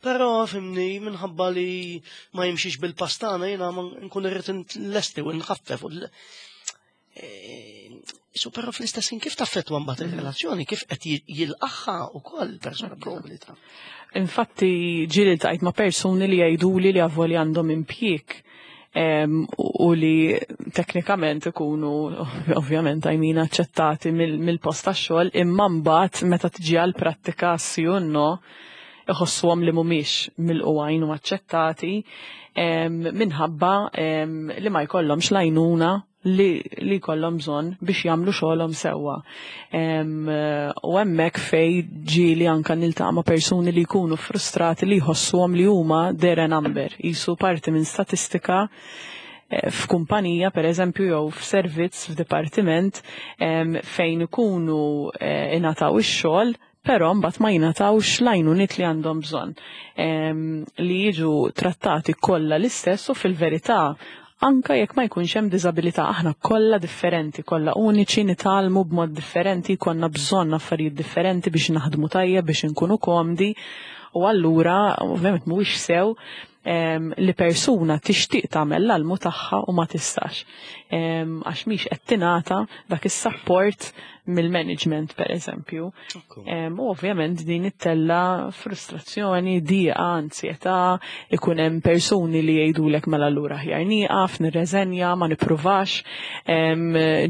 però fhimni minħabba li ma jimxiex bil-pastana jiena nkun irrid lesti u nħaffef. Eh, so però fl-istess kif taffettwa mbagħad il-relazzjoni, kif qed jilqaħħa wkoll persuna b'diżabilità. Infatti ġieli ltqajt ma' persuni li jgħiduli li avolja għandhom impjieg u li teknikament ikunu ovvjament għajmin aċċettati mill-post tax-xogħol imma mbagħad meta tiġi għal prattika sì u no iħossuhom li mhumiex milqugħin u aċċettati minħabba li ma jkollhomx l-għajnuna li, li jkollhom bżonn biex jagħmlu xogħolhom sewwa. U hemmhekk fej ġieli anka niltaqa' ma' persuni li jkunu frustrati li jħossuhom li huma they're a number, jisu parti minn statistika eh, f'kumpanija per eżempju jew f'servizz f'dipartiment fejn ikunu eh, ingħataw ix-xogħol però mbagħad ma jingħatawx l-għajnuniet li għandhom bżonn. Li jiġu trattati kollha l-istess u fil-verità anka jekk ma jkunx hemm diżabilità aħna kollha differenti, kollha uniċi, nitgħallmu b'mod differenti, konna bżonn affarijiet differenti biex naħdmu tajjeb biex inkunu komdi u allura ovvjament mhuwiex sew li persuna tixtieq tagħmel l-almu tagħha u ma tistax. Għax mhix qed tingħata dak is-support mill-management per eżempju. U ovvjament din ittella frustrazzjoni, diqa, ansjetà, ikun hemm persuni li jgħidulek mela allura aħjar nieqaf, nirreżenja, ma nippruvax,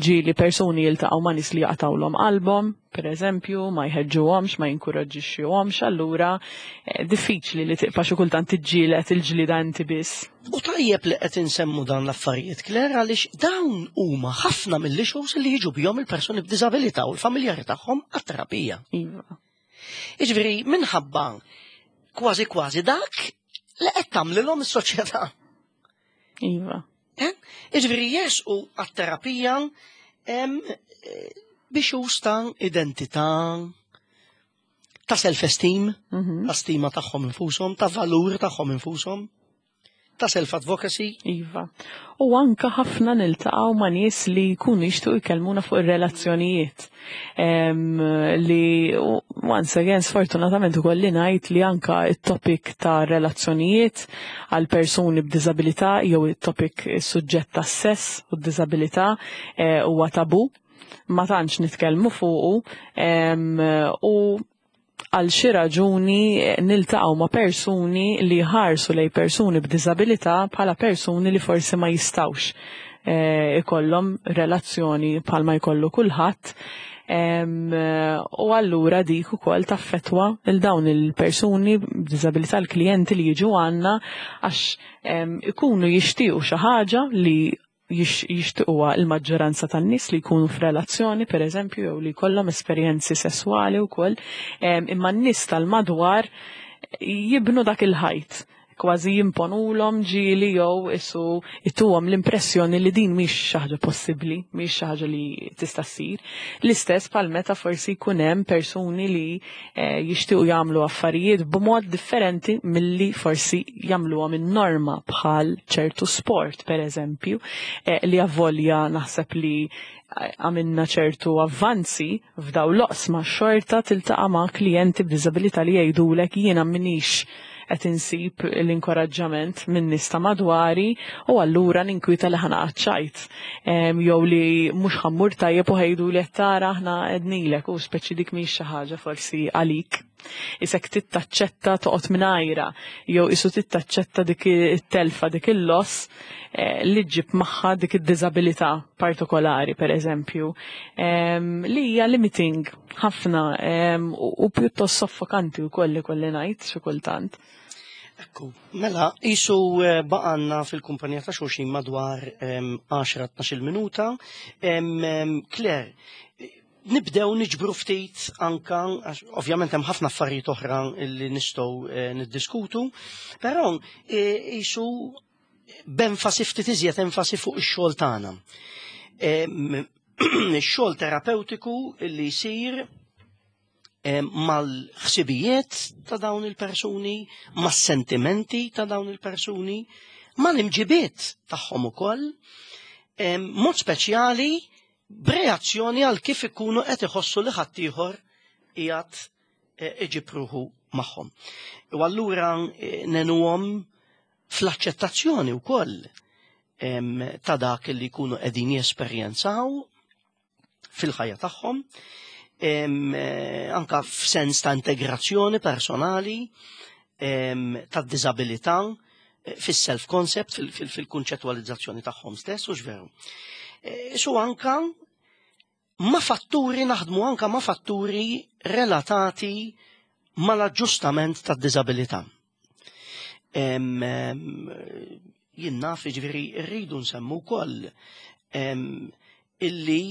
ġieli persuni jiltaqgħu ma' nies li jaqtawlhom qalbhom, per eżempju, ma jħeġġuhomx, ma jinkoraġġixxuhomx, allura eh, diffiċli li tibqa' xi kultant tiġġieled il-ġlida inti biss. U tajjeb li qed insemmu dan l-affarijiet, Claire, għaliex dawn huma ħafna mill-issues li jiġu bihom il-persuni b'diżabilità u l-familjari tagħhom għat-terapija. Iva. Jiġifieri minħabba kważi kważi dak li qed tagħmlilhom is-soċjetà. Iva. Eh? Jiġifieri jersqu għat-terapija eh, biex ta' identità, ta' self-esteem, Mhm. ta' stima tagħhom infushom, ta' valur tagħhom infushom, ta' self-advocacy. Iva. U anka ħafna niltaqgħu ma' nies li jkunu jixtiequ jkellmuna fuq ir-relazzjonijiet. Em, li once again sfortunatament ukoll ngħid li anka it-topic ta' relazzjonijiet għal persuni b'diżabilità jew it-topic is-suġġett tas-sess u d-diżabilità eh, huwa tabu. Ma tantx nitkellmu fuqu em, u għal xi raġuni niltaqgħu ma' persuni li ħarsu lej persuni b'diżabilità bħala persuni li forsi ma jistawx eh, ikollhom relazzjoni bħalma jkollu kulħadd. Em, u allura dik ukoll taffetwa il dawn il-persuni b'diżabilità l-klijenti li jiġu għandna għax em, ikunu jixtiequ xi ħaġa li jix- jixtiequha il-maġġoranza tan-nies li jkunu f'relazzjoni per eżempju jew li jkollhom esperjenzi sesswali wkoll, em, imma n-nies tal-madwar jibnu dak il-ħajt. Kważi jimponulhom ġieli jew isu ituhom l-impressjoni li din mhix xi ħaġa possibbli, mhix xi ħaġa li tista' ssir. L-istess bħal meta forsi jkun hemm persuni li eh, jixtiequ jagħmlu affarijiet b'mod differenti milli forsi jagħmluhom in-norma, bħal ċertu sport per eżempju, eh, li avolja naħseb li għamilna ċertu avvanzi f'daw l-oqsma, xorta tiltaqa' ma' klijenti b'diżabilità li jgħidulek: "Jiena minix qed insib l-inkoraġġament minn nies ta' madwari u allura ninkwita li ħa naqaċ ċajt. Jew li mhux ħa mmur tajjeb u ħa jgħidu li tara, aħna għednilek u speċi dik mhix xi ħaġa forsi għalik. Isek tittaċċetta toqgħod mingħajra jew isu tittaċċetta dik it-telfa, dik il-loss eh, li ġġib magħha dik id-diżabilità partikolari, per eżempju, li hija limiting ħafna u pjuttost soffokanti wkoll li kolli ngħid xi kultant. Ekku, mela, jisu eh, baqgħalna fil-kumpanija ta' xulxin madwar għaxra tnax-il minuta. Claire, nibdew niġbru ftit anka, ovvjament hemm ħafna affarijiet oħra li nistgħu eh, niddiskutu, però eh, jisu b'enfasi, ftit iżjed enfasi fuq ix-xogħol tagħna. Ix-xogħol terapeutiku li jsir mal-ħsibijiet ta' dawn il-persuni, mas-sentimenti ta' dawn il-persuni, mal-imġibiet tagħhom ukoll, mod speċjali b'reazzjoni għal kif ikunu qed iħossu li ħaddieħor qiegħed eh, iġib ruħu magħhom. U allura eh, ngħinuhom fl-aċċettazzjoni wkoll ta' dak li jkunu qegħdin jesperjenzaw fil-ħajja tagħhom, eh, anka f'sens ta' integrazzjoni personali, ta' diżabilità, fis-self-concept, fil-kunċettwalizzazzjoni tagħhom stess, u veru. Su anka ma' fatturi, naħdmu anka ma' fatturi relatati mal-aġġustament tad diżabilità. Jien naf, ġifieri rridu nsemmu wkoll illi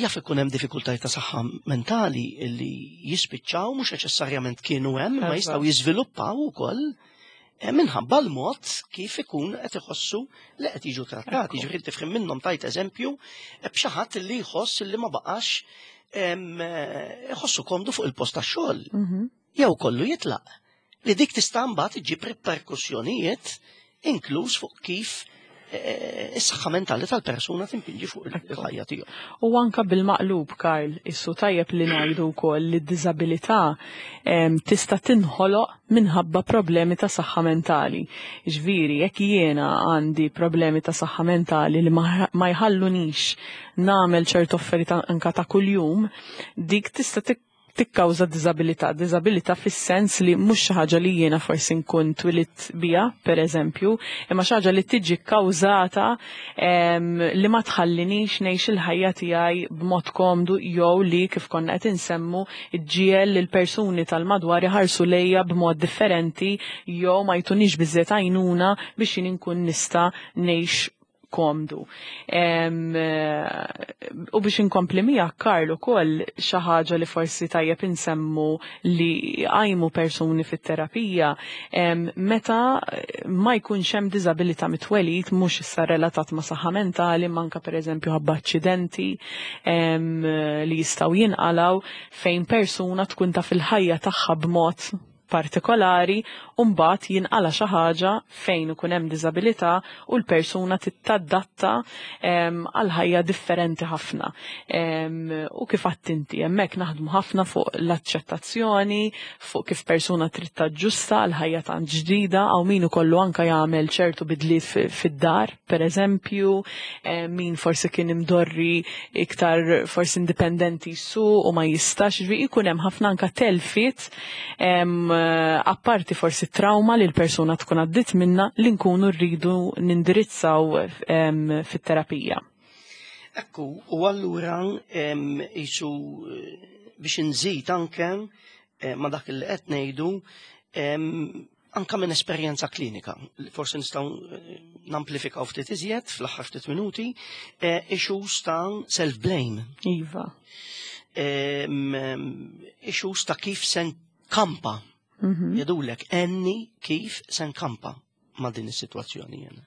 jaf ikun hemm diffikultajiet ta' saħħa mentali illi jispiċċaw, mhux neċessarjament kienu hemm, ma jistgħu jiżviluppaw ukoll eh, minħabba l-mod kif ikun qed iħossu li qed jiġu trattati. Ġifieri tifhem minnhom, tajt eżempju eh, b'xi ħadd li jħoss li ma baqax em, eh, iħossu komdu fuq il-post tax-xogħol. Mhm. Jew kollu jitlaq. Li dik tista' mbagħad iġġib riperkussjonijiet, inkluż fuq kif eh, is-saħħa mentali tal-persuna timpinġi fuq il-ħajja tiegħu. U anka bil-maqlub, Karl, issu tajjeb li ngħidu wkoll li d-diżabilità em, tista' tinħoloq minħabba problemi ta' saħħa mentali. Ġifieri, jekk jiena għandi problemi ta' saħħa mentali li ma ma jħallunix nagħmel ċertu affarijiet anka ta' kuljum, dik tista' tik tikkawża diżabilità, diżabilità fis-sens li mhux xi ħaġa li jiena forsi nkun twilidt biha, per eżempju, imma xi ħaġa li tiġi kkawżata em, li ma tħallinix ngħix il-ħajja tiegħi b'mod komdu jew li, kif konna qed insemmu, iġġiegħel lil persuni tal-madwar iħarsu lejja b'mod differenti jew ma jtunix biżżejjed għajnuna biex jien inkun nista' ngħix komdu. Em, eh, U biex inkompli miegħek, Karl, ukoll xi ħaġa li forsi tajjeb insemmu li għajmu persuni fit-terapija, em, meta ma jkunx hemm diżabilità mit-twelid, mhux issa relatat ma' saħħa mentali, manka pereżempju ħabba aċċidenti em, li jistgħu jinqalaw, fejn persuna tkun ta' fil-ħajja tagħha b'mod partikolari u mbagħad jinqala xi ħaġa fejn ikun hemm diżabilità u l-persuna tittadatta em, għal ħajja differenti ħafna. Em, U kif għedt inti, hemmhekk naħdmu ħafna fuq l-aċċettazzjoni, fuq kif persuna trid taġġusta għal ħajja tant ġdida, għaw min ukollu anka jagħmel ċertu bidliet fi- fid-dar, per eżempju, em, min forsi kien imdorri iktar forsi indipendenti su u ma jistax, ġifieri jkun hemm ħafna anka telfiet em, apparti forsi trauma li l-persuna tkun għaddit minna li nkunu rridu nindirizzaw em, fit-terapija. Ekku, u allura em, jisu eh, biex nżid anke eh, ma dak li qed ngħidu, em, anka minn esperjenza klinika, li forsi nistgħu eh, namplifikaw ftit iżjed fl-aħħar ftit minuti, eh, issues ta' self-blame, Iva. em, em, issues ta' kif se nkampa Mhm. Jgħidulek għenni kif se nkampa ma' din is-sitwazzjoni jena.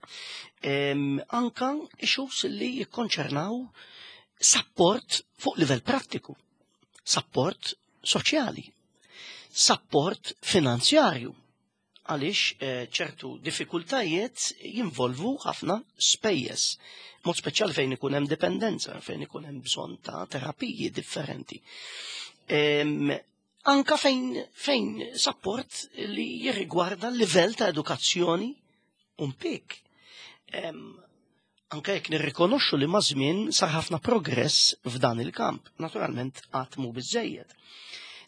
Em, Anka issues li jikkonċernaw support fuq livell prattiku, support soċjali, support finanzjarju, għaliex eh, ċertu diffikultajiet jinvolvu ħafna spejjeż. Mod speċjali fejn ikun hemm dipendenza, fejn ikun hemm bżonn ta' terapiji differenti. Em, anka fejn, fejn support li jirrigwarda l-livell ta' edukazzjoni u mpik. Em, anka jekk nirrikonoxxu li ma' żmien sar ħafna progress f'dan il-kamp, naturalment qatt mhu biżejjed.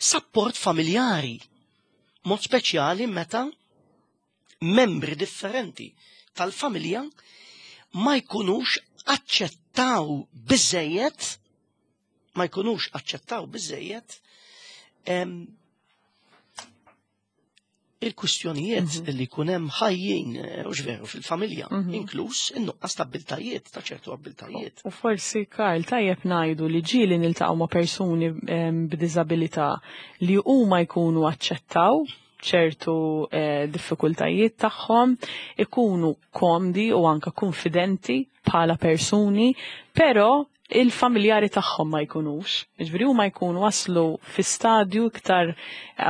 Support familjari, mod speċjali meta membri differenti tal-familja ma jkunux aċċettaw biżejjed ma jkunux aċċettaw biżejjed em, il-kwistjonijiet mm -hmm. li jkun hemm ħajjin eh, u veru fil-familja, mm -hmm. inkluż in-nuqqas ta' abbiltajiet, ta' ċertu abbiltajiet. U forsi, Karl, tajjeb ngħidu li ġieli niltaqgħu ma' persuni b'diżabilità li huma jkunu aċċettaw ċertu eh, diffikultajiet tagħhom, ikunu komdi u anka konfidenti bħala persuni, però il-familjari tagħhom ma jkunux. Ġifieri huma jkunu waslu fi stadju iktar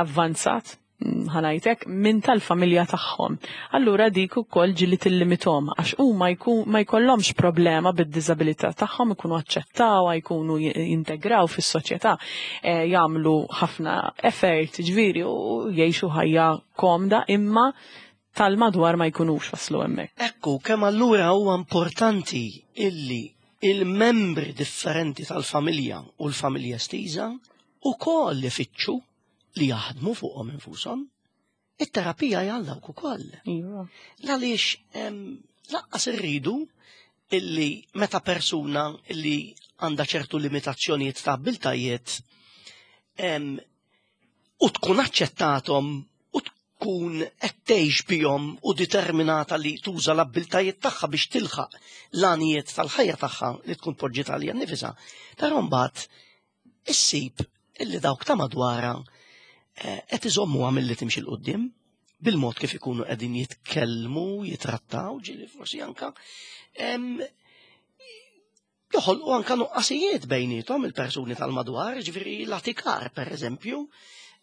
avvanzat, ħa ngħidlek, minn tal-familja tagħhom. Allura dik ukoll ġieli tillimitahom għax huma ma jkollhomx problema bid-diżabilità tagħhom, ikunu aċċettawha, jkunu jintegraw fis-soċjetà, eh, jagħmlu ħafna effort, ġifieri, u jgħixu ħajja komda, imma tal-madwar ma jkunux waslu hemmhekk. Ekku, kemm allura huwa importanti illi il-membri differenti tal-familja u l-familja estiża ukoll ifittxu li jaħdmu fuqhom infushom. It-terapija jalla ukoll. Iva. Għaliex lanqas irridu illi meta persuna illi għandha ċertu limitazzjonijiet ta' abbiltajiet u tkun aċċettathom u tkun qed tgħix bihom u determinata li tuża l-abbiltajiet tagħha biex tilħaq l-għanijiet tal-ħajja tagħha li tkun poġġiet għalija nnifisha. Però mbagħad issib illi dawk ta' madwarha eh, qed iżommuha milli timxi 'l quddiem bil-mod kif ikunu qegħdin jitkellmu, jitrattaw, ġieli forsi anka joħolqu anka nuqqasijiet bejnietom il-persuni tal-madwar, ġifieri l-atikar, per eżempju,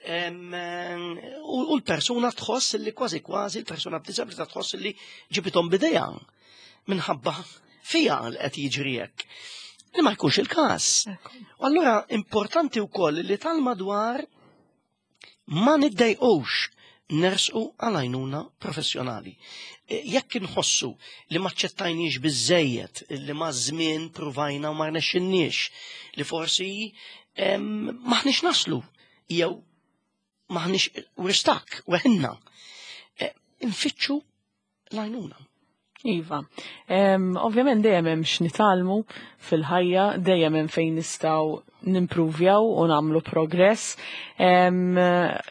u l-persuna tħoss li kważi kważi l-persuna b'disabilità tħoss li ġibithom b'idejha minħabba fija li qed jiġri hekk. Li ma jkunx il-każ. U allura importanti wkoll li tal-madwar ma niddejqux nersqu għal-għajnuna professjonali. E, jekk inħossu li ma ċċettajniex biżejjed, li ma żmien pruvajna u ma rnexxinniex, li forsi maħniex naslu, jew maħniex we're stuck, weħilna. E, infittxu l-għajnuna. Iva. Um, ovvjament dejjem hemm x'nitgħallmu fil-ħajja, dejjem hemm fejn nistgħu nimpruvjaw u nagħmlu progress. Um,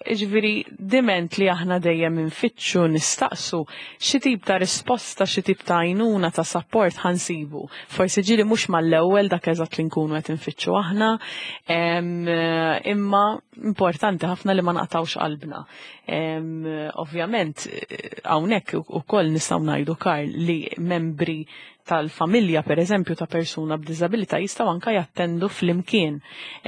Ġifieri diment li aħna dejjem infittxu nistaqsu xi tip ta' risposta, xi tip ta' għajnuna ta' support ħa nsibu. Forsi ġieli mhux mal-ewwel dak eżatt li nkunu qed infittxu aħna, um, imma importanti ħafna li ma naqtawx qalbna. Um, ovvjament, hawnhekk ukoll nistgħu ngħidu, Karl, li membri tal-familja, per eżempju, ta' persuna b'diżabilità jistgħu anka jattendu flimkien.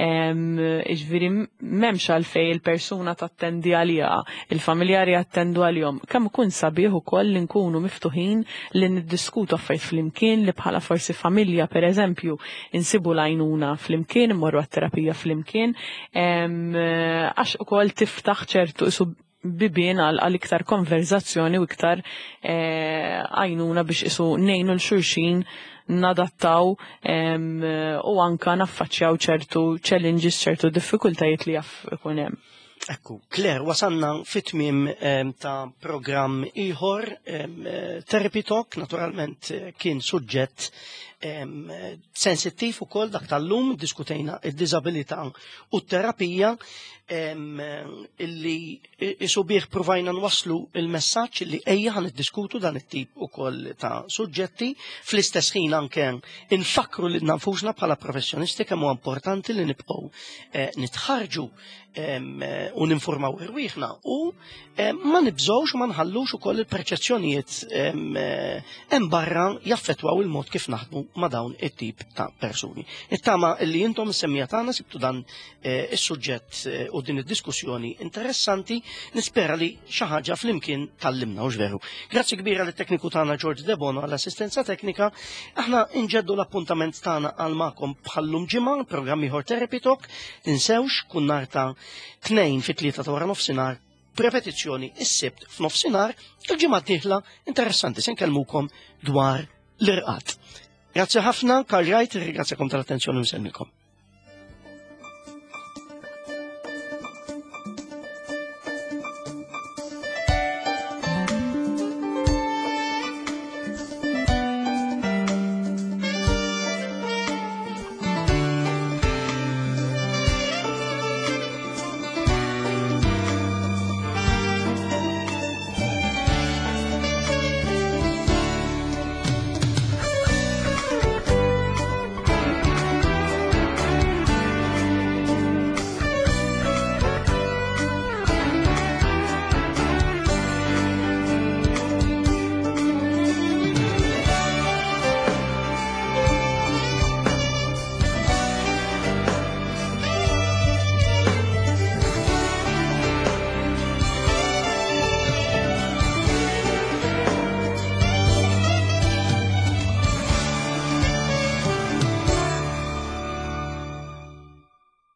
Ġifieri m'hemmx għalfej il-persuna tattendi għaliha, il-familjari jattendu għalihom. Kemm ikun sabiħ ukoll li nkunu miftuħin li niddiskutu affarijiet flimkien, li bħala forsi familja, per eżempju, insibu l-għajnuna flimkien, immorru għat-terapija flimkien, għax ukoll tiftaħ ċertu isu bibien għal iktar konverzazzjoni u iktar eh, għajnuna biex isu ngħinu 'l xulxin nadattaw u anka naffaċċjaw ċertu challenges, ċertu diffikultajiet li jaf ikun hemm. Ekku, Claire, wasanna fit-tmiem ta' programm ieħor, Therapy Talk, naturalment eh, kien suġġett Sensittiv ukoll dak tal-lum, diskutejna id-diżabilità u t-terapija, illi isubih provajna nwaslu il-messaġġ li ejja ħa niddiskutu dan it-tip ukoll ta' suġġetti, fl-istess ħin anke infakru lil nfusna bħala professjonisti kemm huwa importanti li nibqgħu eh, nitħarġu u ninformaw irwieħna u ma nibżgħux u ma nħallux ukoll il-perċezzjonijiet hemm barra jaffettwaw il-mod kif naħdmu ma' dawn it-tip ta' persuni. Nittama li intom is-semmiegħa tagħna sibtu dan eh, is-suġġett eh, u din id-diskussjoni interessanti, nispera li xi ħaġa flimkien tgħallimna u veru. Grazzi kbira lit tekniku tagħna George Debono għall-assistenza teknika. Aħna nġeddu l-appuntament tagħna għal magħkom bħal-lum ġimgħa, programm ieħor Therapy Talk, tinsewx kull nhar ta' Tnejn fit-tlieta ta' wara nofsinhar, b'repetizzjoni is-Sibt f'nofsinhar, il-ġimgħa d-dieħla interessanti se nkellmukom dwar l-irqad. Grazzi ħafna, Karl Wright, ringrazzjakom tal-attenzjoni u nsellmilkom.